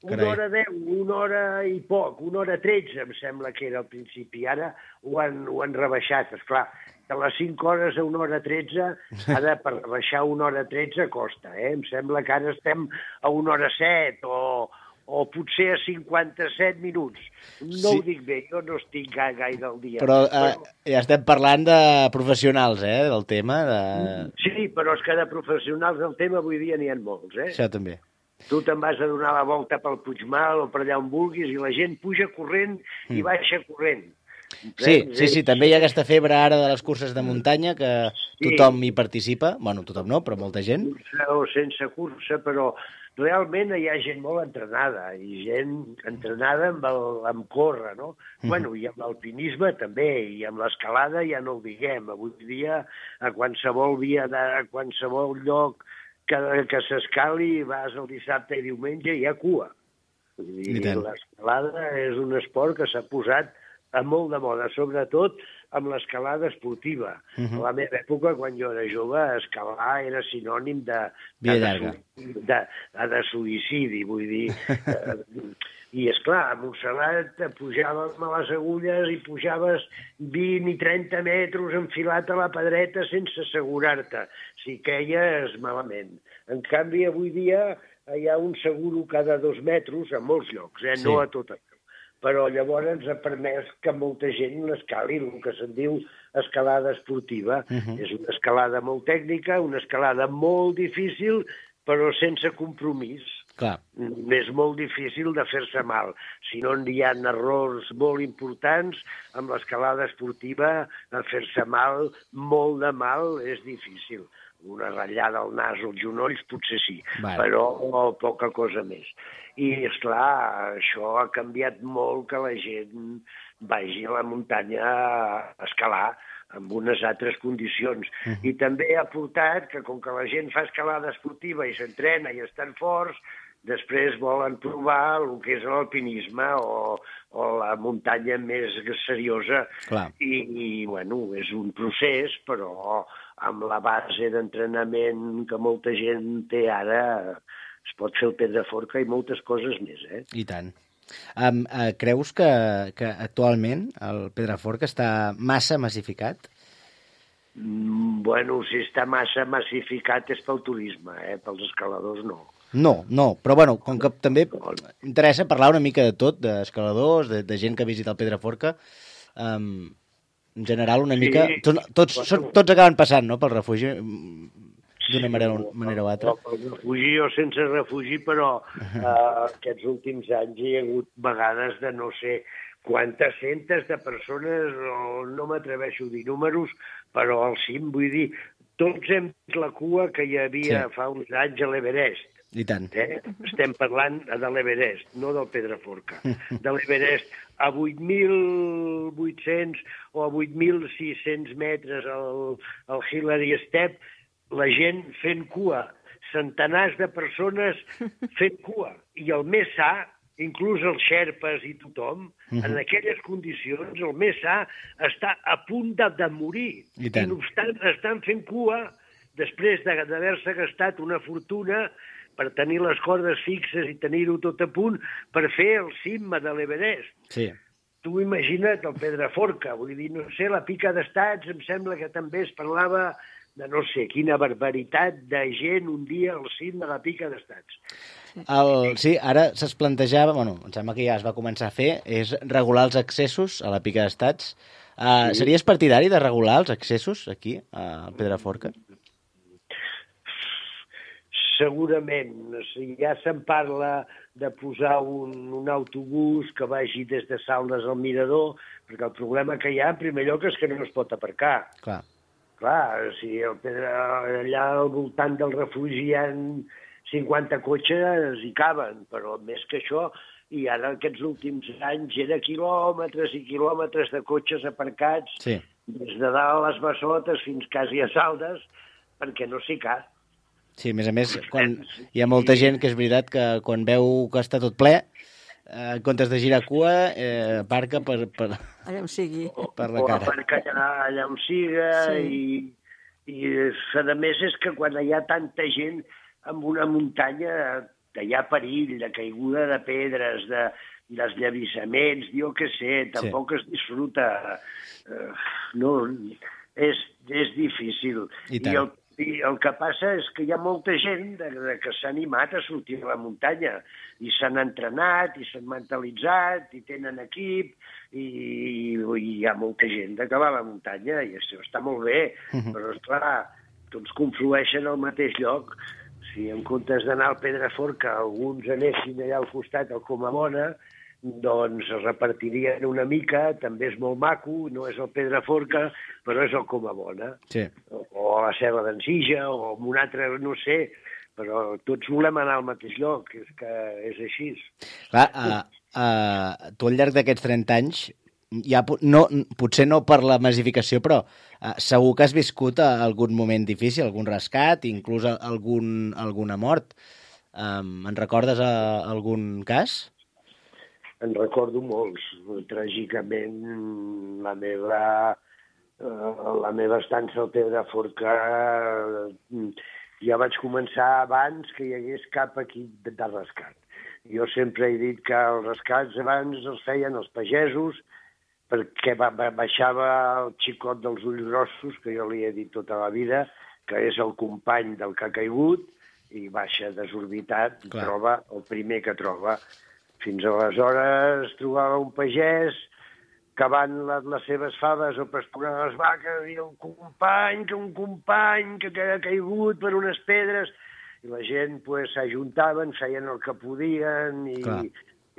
una hora deu, una hora i poc, una hora tretze, em sembla que era al principi. Ara ho han, ho han rebaixat, esclar. De les cinc hores a una hora tretze, ara per rebaixar una hora tretze costa, eh? Em sembla que ara estem a una hora set o... o potser a cinquanta-set minuts. No sí. Ho dic bé, jo no estic gaire al dia.
Però eh, però... ja estem parlant de professionals, eh, del tema. De...
Sí, però és que de professionals del tema avui dia n'hi ha molts, eh?
Això també.
Tu te'n vas a donar la volta pel Puigmal o per allà on vulguis i la gent puja corrent mm. i baixa corrent.
Sí, sí, sí, també hi ha aquesta febre ara de les curses de muntanya que tothom hi participa. Bueno, tothom no, però molta gent.
O sense cursa, però realment hi ha gent molt entrenada, i gent entrenada amb, el, amb córrer, no? Mm-hmm. Bueno, i amb l'alpinisme també, i amb l'escalada ja no ho diguem. Avui dia, a qualsevol via, de, a qualsevol lloc que, que s'escali, vas el dissabte i diumenge, hi ha cua. I l'escalada és un esport que s'ha posat a molt de moda, sobretot amb l'escalada esportiva. Uh-huh. A la meva època, quan jo era jove, escalar era sinònim de, de, de, de, de suïcidi, vull dir. eh, I, esclar, a Montserrat pujàvem a les agulles i pujaves vint i trenta metres enfilat a la pedreta sense assegurar-te, si queies malament. En canvi, avui dia hi ha un seguro cada dos metres a molts llocs, eh? Sí. No a tot això. Però llavors ens ha permès que molta gent l'escali, el que se'n diu escalada esportiva. Uh-huh. És una escalada molt tècnica, una escalada molt difícil, però sense compromís.
Clar.
És molt difícil de fer-se mal. Si no, hi ha errors molt importants amb l'escalada esportiva, a fer-se mal, molt de mal, és difícil. Una ratllada al nas o als genolls potser sí, vale. Però poca cosa més. I, esclar, això ha canviat molt que la gent vagi a la muntanya a escalar amb unes altres condicions. Uh-huh. I també ha portat que, com que la gent fa escalada esportiva i s'entrena i estan forts, després volen provar el que és l'alpinisme o, o la muntanya més seriosa.
Clar.
I, i, bueno, és un procés, però amb la base d'entrenament que molta gent té ara, es pot fer el Pedraforca i moltes coses més, eh?
I tant. Um, uh, creus que, que actualment el Pedraforca està massa massificat?
Mm, bueno, si està massa massificat és pel turisme, eh? Pels escaladors no.
No, no, però bueno, com que també interessa parlar una mica de tot, d'escaladors, de, de gent que visita el Pedraforca, um, en general una mica... Sí, tots, tots, bueno, tots acaben passant, no?, pel refugi, d'una manera, manera o altra.
Pel refugi o sense refugi, però eh, aquests últims anys hi ha hagut vegades de no sé quantes centes de persones, o no m'atreveixo a dir números, però al cim, vull dir, tots hem vist la cua que hi havia sí. fa uns anys a l'Everest.
I tant.
Eh? Estem parlant de l'Everest, no del Pedraforca. De l'Everest a vuit mil vuit-cents o a vuit mil sis-cents metres al, al Hillary Step, la gent fent cua, centenars de persones fent cua. I el més sa, inclús els xerpes i tothom, uh-huh. en aquelles condicions, el més sa està a punt de, de morir. I, I no obstant, estan fent cua després d'haver-se gastat una fortuna per tenir les cordes fixes i tenir-ho tot a punt per fer el cim de l'Everest.
Sí.
Tu imagina't el Pedraforca, vull dir, no sé, la Pica d'Estats, em sembla que també es parlava de no sé quina barbaritat de gent un dia al cim de la Pica d'Estats.
El, sí, ara se'ls plantejava, bueno, em sembla que ja es va començar a fer, és regular els accessos a la Pica d'Estats. Uh, sí. Series partidari de regular els accessos aquí, a Pedraforca?
Segurament. Si ja se'n parla de posar un, un autobús que vagi des de Saldes al Mirador, perquè el problema que hi ha, en primer lloc, és que no es pot aparcar.
Clar.
Clar, si el Pedra, allà al voltant del refugi hi ha cinquanta cotxes i caben, però més que això, i ara aquests últims anys era quilòmetres i quilòmetres de cotxes aparcats,
sí.
des de dalt a les Bassotes fins quasi a Saldes, perquè no s'hi cap.
Sí, a més a més, quan hi ha molta gent que és veritat que quan veu que està tot ple, eh, en comptes de girar cua, eh, aparca per, per,
allà on sigui.
per la cara.
O aparca allà, allà on siga, sí. i, i a més és que quan hi ha tanta gent en una muntanya que hi ha perill de caiguda de pedres, de desllevissaments, jo què sé, tampoc sí. es disfruta. Uh, no, és, és difícil.
I,
I el I el que passa és que hi ha molta gent de, de que s'ha animat a sortir a la muntanya i s'han entrenat i s'han mentalitzat i tenen equip i, i hi ha molta gent que va a la muntanya i això està molt bé, uh-huh. però esclar, tots conflueixen al mateix lloc. Si en comptes d'anar al Pedraforca alguns anessin allà al costat al Comamona, doncs es repartirien una mica, també és molt maco, no és el Pedraforca, però és el Comabona.
Sí.
O a la Serra d'en Sija, o en un altre, no sé, però tots volem anar al mateix lloc, és que és així.
Clar, uh, uh, tu al llarg d'aquests trenta anys, ja, no, potser no per la massificació, però uh, segur que has viscut uh, algun moment difícil, algun rescat, inclús algun, alguna mort. Um, en recordes uh, algun cas?
En recordo molts. Tràgicament, la meva, uh, la meva estança al Pedraforca uh, ja vaig començar abans que hi hagués cap equip de, de rescat. Jo sempre he dit que els rescats abans els feien els pagesos, perquè ba ba baixava el xicot dels ulls grossos, que jo li he dit tota la vida, que és el company del que ha caigut, i baixa desorbitat, i troba el primer que troba. Fins aleshores trobava un pagès cavant les, les seves faves o pasturant les vaques, i un company, que un company que, que ha caigut per unes pedres, i la gent pues, s'ajuntaven, feien el que podien i,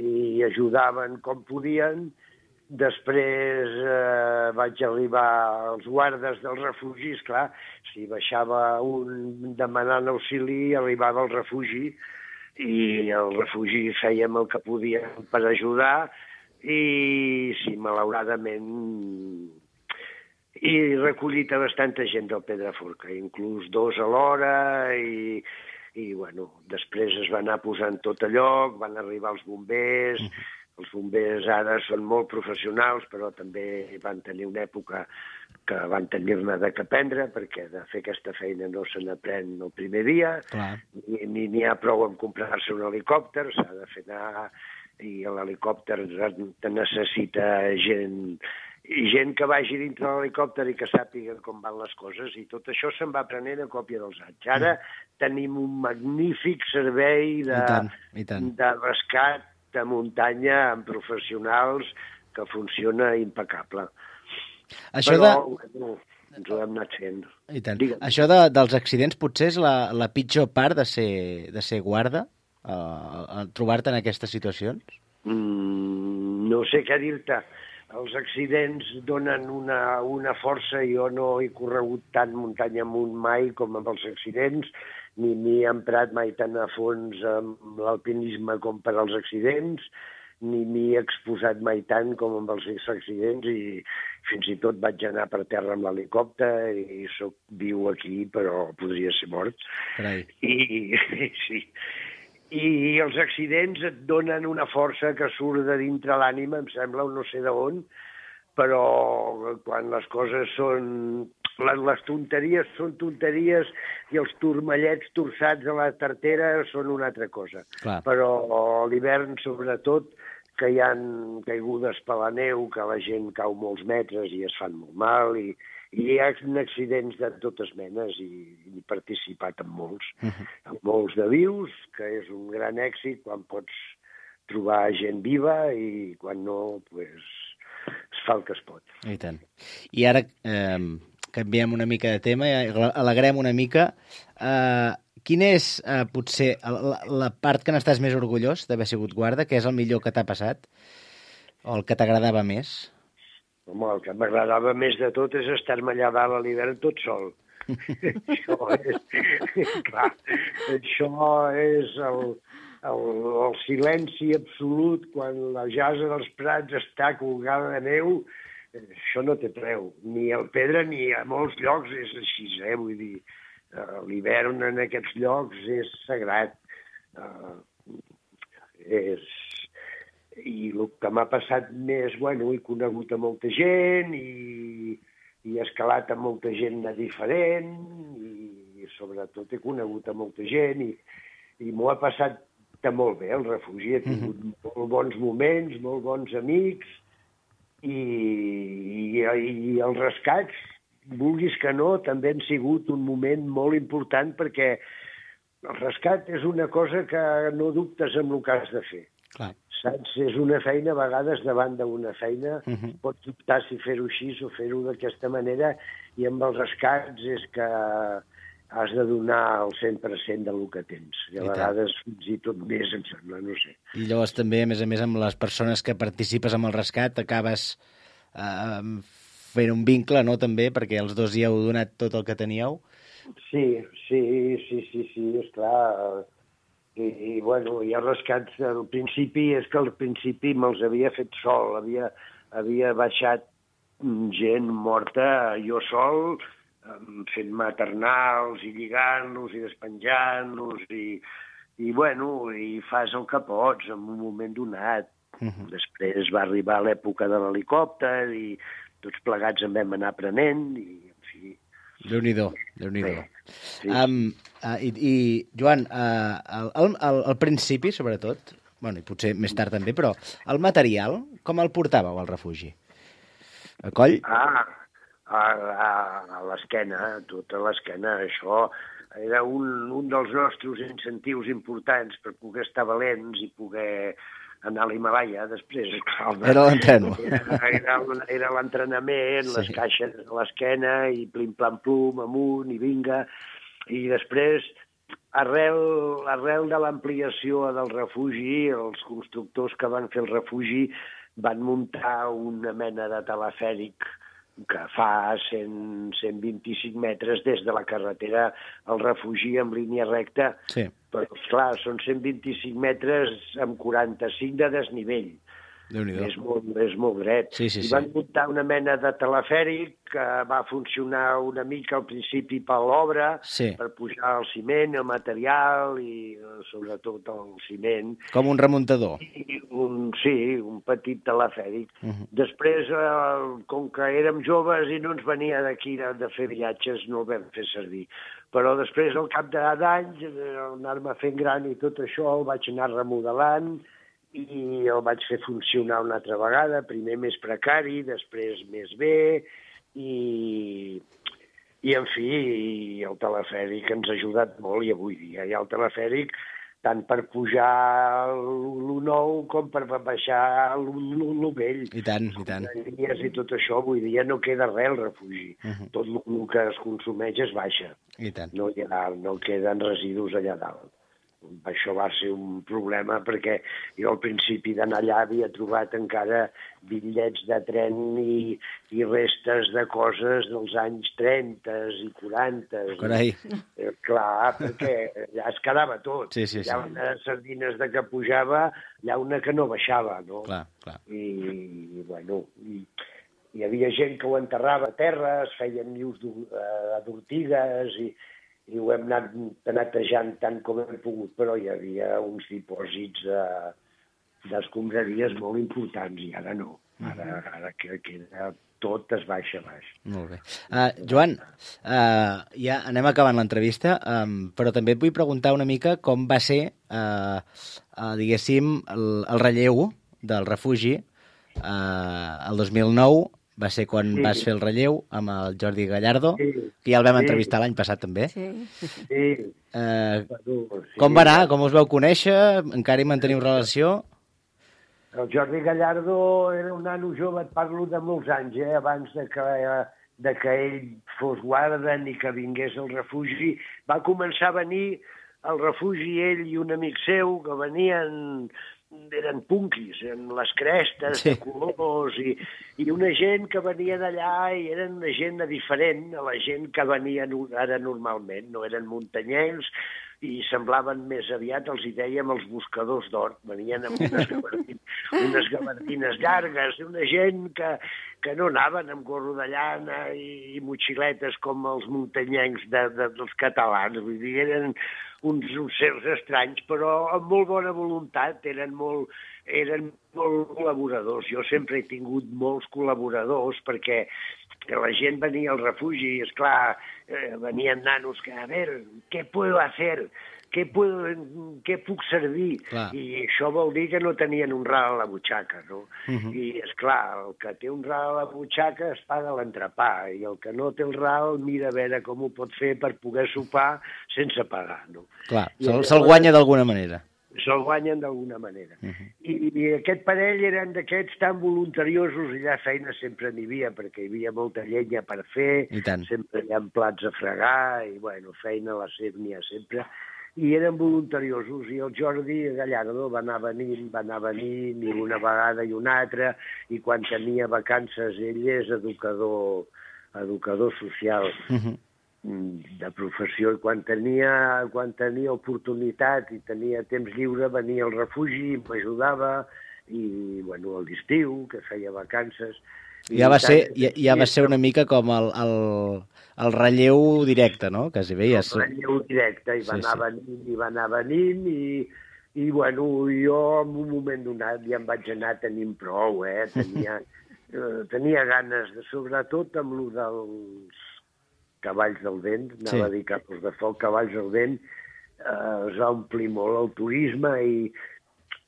i ajudaven com podien. Després eh, vaig arribar als guardes dels refugis, clar, si baixava un demanant auxili, arribava al refugi, i al refugi fèiem el que podíem per ajudar, i sí, malauradament, he recollit a bastanta gent del Pedraforca, inclús dos a l'hora, i, i bueno, després es va anar posant tot a lloc, van arribar els bombers. Els bombers ara són molt professionals, però també van tenir una època que van tenir-ne de que aprendre, perquè de fer aquesta feina no se n'aprèn el primer dia, ni n'hi ha prou en comprar-se un helicòpter, s'ha de fer anar, i l'helicòpter te necessita gent, i gent que vagi dintre de l'helicòpter i que sàpiga com van les coses, i tot això se'n va aprenent a còpia dels anys. Ara tenim un magnífic servei de,
I tant, i tant.
de rescat de muntanya amb professionals que funciona impecable.
Això
Però,
de...
bueno, ens ho hem anat fent.
I tant. Això de, dels accidents potser és la, la pitjor part de ser, de ser guarda? Uh, trobar-te en aquestes situacions?
Mm, no sé què dir-te. Els accidents donen una, una força. Jo no he corregut tant muntanya amunt mai com amb els accidents, ni m'hi he emprat mai tan a fons amb l'alpinisme com per als accidents, ni m'hi he exposat mai tant com amb els accidents, i fins i tot vaig anar per terra amb l'helicòpter i soc viu aquí, però podria ser mort.
Carai.
I, sí. I els accidents et donen una força que surt de dintre l'ànima, em sembla, no sé d'on, però quan les coses són... Les tonteries són tonteries i els turmallets torçats a la tartera són una altra cosa.
Clar.
Però a l'hivern, sobretot, que hi ha caigudes per la neu, que la gent cau molts metres i es fan molt mal, i, i hi ha accidents de totes menes, i, i he participat en molts. Uh-huh. En molts de vius, que és un gran èxit quan pots trobar gent viva, i quan no, pues, es fa el que es pot.
I tant. I ara... Eh... canviem una mica de tema i alegrem una mica. Uh, quina és, uh, potser, la, la part que n'estàs més orgullós d'haver sigut guarda? Què és el millor que t'ha passat? O el que t'agradava més?
Home, el que m'agradava més de tot és estar-me allà dalt a l'hivern tot sol. Això és... Clar, això és el, el, el silenci absolut quan la jasa dels Prats està colgada de neu. Això no té preu, ni al Pedra ni a molts llocs és així, eh? Vull dir, l'hivern en aquests llocs és sagrat. Uh, és... I el que m'ha passat més, bueno, he conegut a molta gent i, i he escalat a molta gent diferent i sobretot he conegut a molta gent i, i m'ho ha passat molt bé, el refugi. He tingut mm-hmm. molt bons moments, molt bons amics, I, i, i els rescats, vulguis que no, també han sigut un moment molt important, perquè el rescat és una cosa que no dubtes amb el que has de fer.
Clar.
Saps? És una feina, a vegades davant d'una feina, uh-huh. pots dubtar si fer-ho així o fer-ho d'aquesta manera, i amb els rescats és que has de donar el cent per cent del que tens. I a
I tant.
vegades fins i tot més, em sembla, no sé.
I llavors també, a més a més, amb les persones que participes amb el rescat, acabes eh, fent un vincle, no?, també, perquè els dos hi heu donat tot el que teníeu.
Sí, sí, sí, sí, sí, esclar. I, i bueno, hi ha rescats, al principi, és que al principi me'ls havia fet sol, havia, havia baixat gent morta, jo sol, fent maternals i lligant-los i despenjant-los i, i, bueno, i fas el que pots en un moment donat. Uh-huh. Després va arribar l'època de l'helicòpter i tots plegats en vam anar aprenent i, en fi...
Déu-n'hi-do, Déu-n'hi-do. Sí. Um, uh, i, I, Joan, uh, al, al, al principi, sobretot, bueno, i potser més tard també, però el material, com el portàveu al refugi? A coll?
Ah, a, a, a l'esquena, tota l'esquena. Això era un, un dels nostres incentius importants per poder estar valents i poder anar a l'Himalaya després.
Era l'entreno.
Era, era, era l'entrenament, sí. Les caixes a l'esquena i plim-plam-plum, amunt i vinga. I després, arrel, arrel de l'ampliació del refugi, els constructors que van fer el refugi van muntar una mena de telefèric que fa cent, cent vint-i-cinc metres des de la carretera al refugi en línia recta.
Sí.
Però, clar, són cent vint-i-cinc metres amb quaranta-cinc de desnivell. És molt, és molt dret.
Sí, sí,
I
sí.
van muntar una mena de telefèric que va funcionar una mica al principi per l'obra,
sí.
Per pujar el ciment, el material i sobretot el ciment.
Com un remuntador.
I un, sí, un petit telefèric.
Uh-huh.
Després, eh, com que érem joves i no ens venia d'aquí de fer viatges, no el vam fer servir. Però després, al cap d'anys, anar-me fent gran i tot això, el vaig anar remodelant i el vaig fer funcionar una altra vegada, primer més precari, després més bé, i, i en fi, i el telefèric ens ha ajudat molt, i avui dia hi ha el telefèric tant per pujar l'U nou com per baixar l'U vell.
I tant, i tant.
I tot això, avui dia no queda res al refugi. Uh-huh. Tot el que es consumeix es baixa.
I tant.
No, hi ha, no queden residus allà dalt. Això va ser un problema perquè jo al principi d'anar allà havia trobat encara bitllets de tren i, i restes de coses dels anys trenta i quaranta.
Carai.
I, clar, perquè allà es quedava tot.
Sí, sí, sí.
Hi ha unes sardines de que pujava, hi ha una que no baixava, no?
Clar, clar.
I, i bueno, i, hi havia gent que ho enterrava a terra, es feien nius d'ortigues i i ho hem anat netejant tant com hem pogut, però hi havia uns dipòsits d'escombraries molt importants, i ara no. Ara, ara que queda tot es baixa a baix.
Molt bé. Uh, Joan, uh, ja anem acabant l'entrevista, um, però també et vull preguntar una mica com va ser, uh, uh, diguéssim, el, el relleu del refugi uh, el dos mil nou, va ser quan sí. Vas fer el relleu amb el Jordi Gallardo, sí. Que ja el vam sí. Entrevistar l'any passat també.
Sí. sí.
Uh, sí. Com va anar? Com us vau conèixer? Encara hi manteniu relació?
El Jordi Gallardo era un nano jove, et parlo de molts anys, eh? Abans de que, de que ell fos guarda ni que vingués al refugi. Va començar a venir al refugi ell i un amic seu que venien... eren punquis, en les crestes, sí. De colors, i, i una gent que venia d'allà i eren una gent diferent a la gent que venia ara normalment, no eren muntanyencs i semblaven més aviat, els hi dèiem, els buscadors d'or, venien amb unes gabardines, unes gabardines llargues, una gent que, que no anaven amb gorro de llana i, i motxiletes com els muntanyencs de, de, dels catalans, vull dir, eren uns, uns seus estranys, però amb molt bona voluntat, eren molt, eren molt col·laboradors. Jo sempre he tingut molts col·laboradors perquè la gent venia al refugi i, esclar, eh, venien nanos que, a veure, què puedo hacer? Què, puedo, què puc servir? Clar. I això vol dir que no tenien un ral a la butxaca, no? Uh-huh. I, esclar, el que té un ral a la butxaca es paga l'entrepà, i el que no té el ral mira a veure com ho pot fer per poder sopar sense pagar, no?
Clar, se'l se guanya d'alguna manera.
se'l guanyen d'alguna manera.
Uh -huh.
I, I aquest parell eren d'aquests tan voluntariosos, i allà feina sempre n'hi havia, perquè hi havia molta llenya per fer, sempre hi ha plats a fregar, i bueno, feina a la S E P n'hi ha sempre, i eren voluntariosos, i el Jordi Gallardo va anar venint, va anar venint, i una vegada i una altra, i quan tenia vacances ell és educador, educador social, uh -huh. de professió, i quan tenia, quan tenia oportunitat i tenia temps lliure venia al refugi, m'ajudava, i bueno, a l'estiu, que feia vacances.
Ja va, ser, ja, ja va ser una mica com el, el, el relleu directe, no? Quasi bé, ja
el relleu directe, i va sí, anar sí. venint, i va anar venint, i, i bueno, jo en un moment donat ja em vaig anar tenint prou, eh? Tenia, eh, tenia ganes, de, sobretot amb el dels cavalls del vent, anava sí. a dir capos de foc, cavalls del vent, eh, es va omplir molt el turisme, i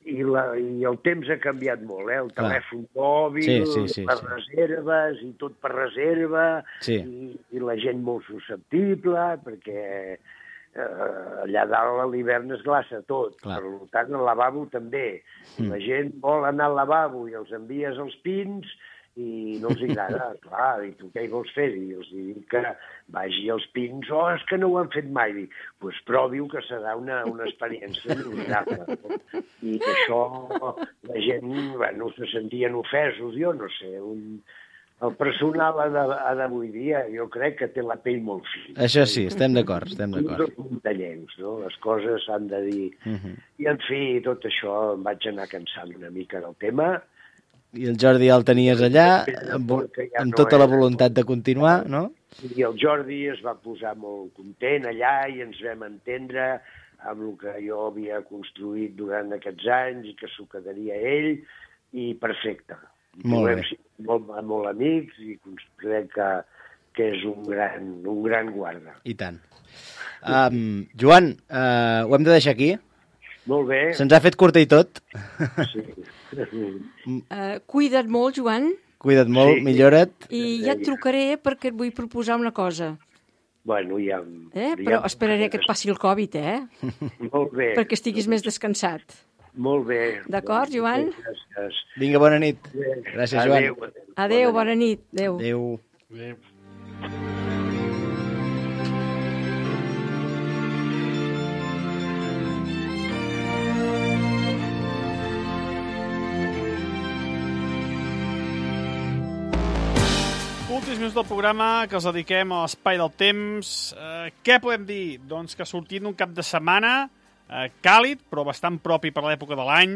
I, la, i el temps ha canviat molt, eh? El telèfon mòbil, sí, sí, sí, per sí. reserves, i tot per reserva, sí. i, i la gent molt susceptible, perquè eh, allà dalt a l'hivern es glaça tot. Clar. Per tant, al lavabo també. Mm. La gent vol anar al lavabo i els envies als pins i no els agrada, clar, i tu què hi vols fer? I els dic que vagi als pins, oh, és que no ho han fet mai. Doncs pues provi-ho, que serà una, una experiència inolvidable. I això la gent, bueno, se sentien ofesos, jo no sé, un, el personal d'avui dia jo crec que té la pell molt fina.
Això sí, estem d'acord, estem d'acord.
Els muntanyencs, no? Les coses s'han de dir. Uh -huh. I, en fi, tot això em vaig anar cansant una mica del tema.
I el Jordi ja el tenies allà, amb, amb tota la voluntat de continuar, no?
I el Jordi es va posar molt content allà i ens vam entendre amb el que jo havia construït durant aquests anys i que s'ho quedaria ell, i perfecte.
Molt bé.
Molt, molt amics, i crec que, que és un gran, un gran guarda.
I tant. Um, Joan, uh, ho hem de deixar aquí?
Molt bé.
Se'ns ha fet curta i tot.
Sí.
Uh, cuida't molt, Joan.
Cuida't molt, sí. Millora't.
I ja et trucaré perquè et vull proposar una cosa.
Bueno, ja...
Eh? Però ja... esperaré que et passi el Covid, eh?
Molt bé.
Perquè estiguis més descansat.
Molt bé.
D'acord, Joan?
Gràcies.
Vinga, bona nit. Gràcies, Joan.
Adéu.
Adéu, bona nit. Adéu.
Adéu.
Adéu. Últims minuts del programa que els dediquem a l'espai del temps. Eh, què podem dir? Doncs que sortint d'un cap de setmana eh, càlid, però bastant propi per l'època de l'any,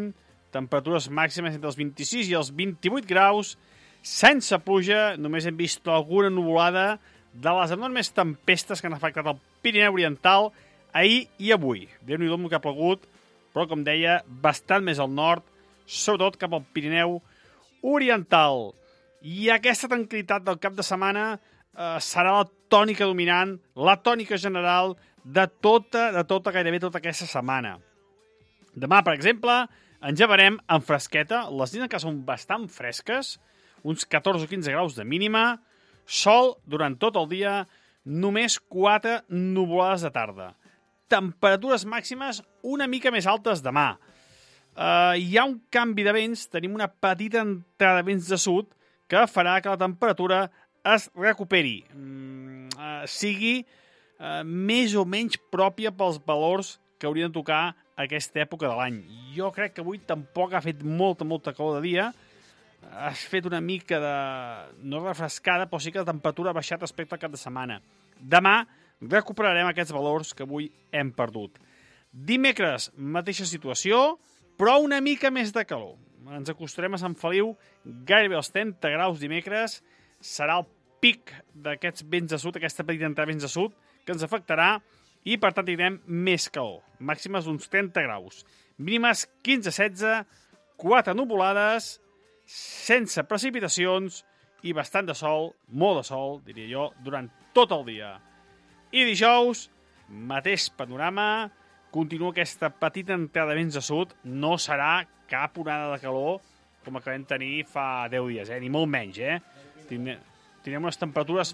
temperatures màximes entre els vint-i-sis i els vint-i-vuit graus, sense pluja, només hem vist alguna nuvolada de les enormes tempestes que han afectat el Pirineu Oriental ahir i avui. Déu-n'hi-do el que ha plegut, però, com deia, bastant més al nord, sobretot cap al Pirineu Oriental. I aquesta tranquil·litat del cap de setmana eh, serà la tònica dominant, la tònica general de tota, de tota, gairebé tota aquesta setmana. Demà, per exemple, ens llevarem amb fresqueta, les nits que són bastant fresques, uns catorze o quinze graus de mínima, sol durant tot el dia, només quatre nuvolades de tarda. Temperatures màximes una mica més altes demà. Eh, hi ha un canvi de vents, tenim una petita entrada de vents de sud, que farà que la temperatura es recuperi, mm, eh, sigui eh, més o menys pròpia pels valors que haurien de tocar aquesta època de l'any. Jo crec que avui tampoc ha fet molta, molta calor de dia, has fet una mica de... no refrescada, però sí que la temperatura ha baixat respecte al cap de setmana. Demà recuperarem aquests valors que avui hem perdut. Dimecres, mateixa situació, però una mica més de calor. Ens acostarem a Sant Feliu gairebé als trenta graus dimecres. Serà el pic d'aquests vents de sud, aquesta petita entrada de vents de sud, que ens afectarà i, per tant, tindrem més calor. Màximes d'uns trenta graus. Mínimes quinze a setze, quatre nuvolades, sense precipitacions i bastant de sol, molt de sol, diria jo, durant tot el dia. I dijous, mateix panorama, continua aquesta petita entrada de vents de sud, no serà cap onada de calor com la que vam tenir fa deu dies, eh? Ni molt menys, eh? Tindrem, tindrem unes temperatures...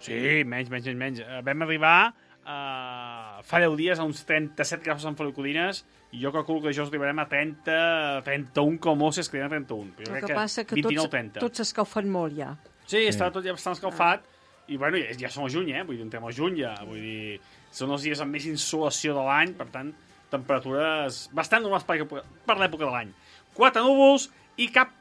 Sí, menys, menys, menys, menys. Vam arribar uh, fa deu dies a uns trenta-set graus a Sant Feliu Codines, i jo calculo que jo arribarem a trenta, trenta-un com a si es queden a trenta-un. Però jo
El
crec
que passa que
vint-i-nou
tots,
trenta.
tots s'escalfen molt ja.
Sí, està tot ja bastant escalfat, i bueno, ja, ja som a juny, eh? Vull dir, entrem al juny ja, vull dir, són els dies amb més insolació de l'any, per tant, temperatures bastant normals per, per l'època de l'any. Quatre núvols i cap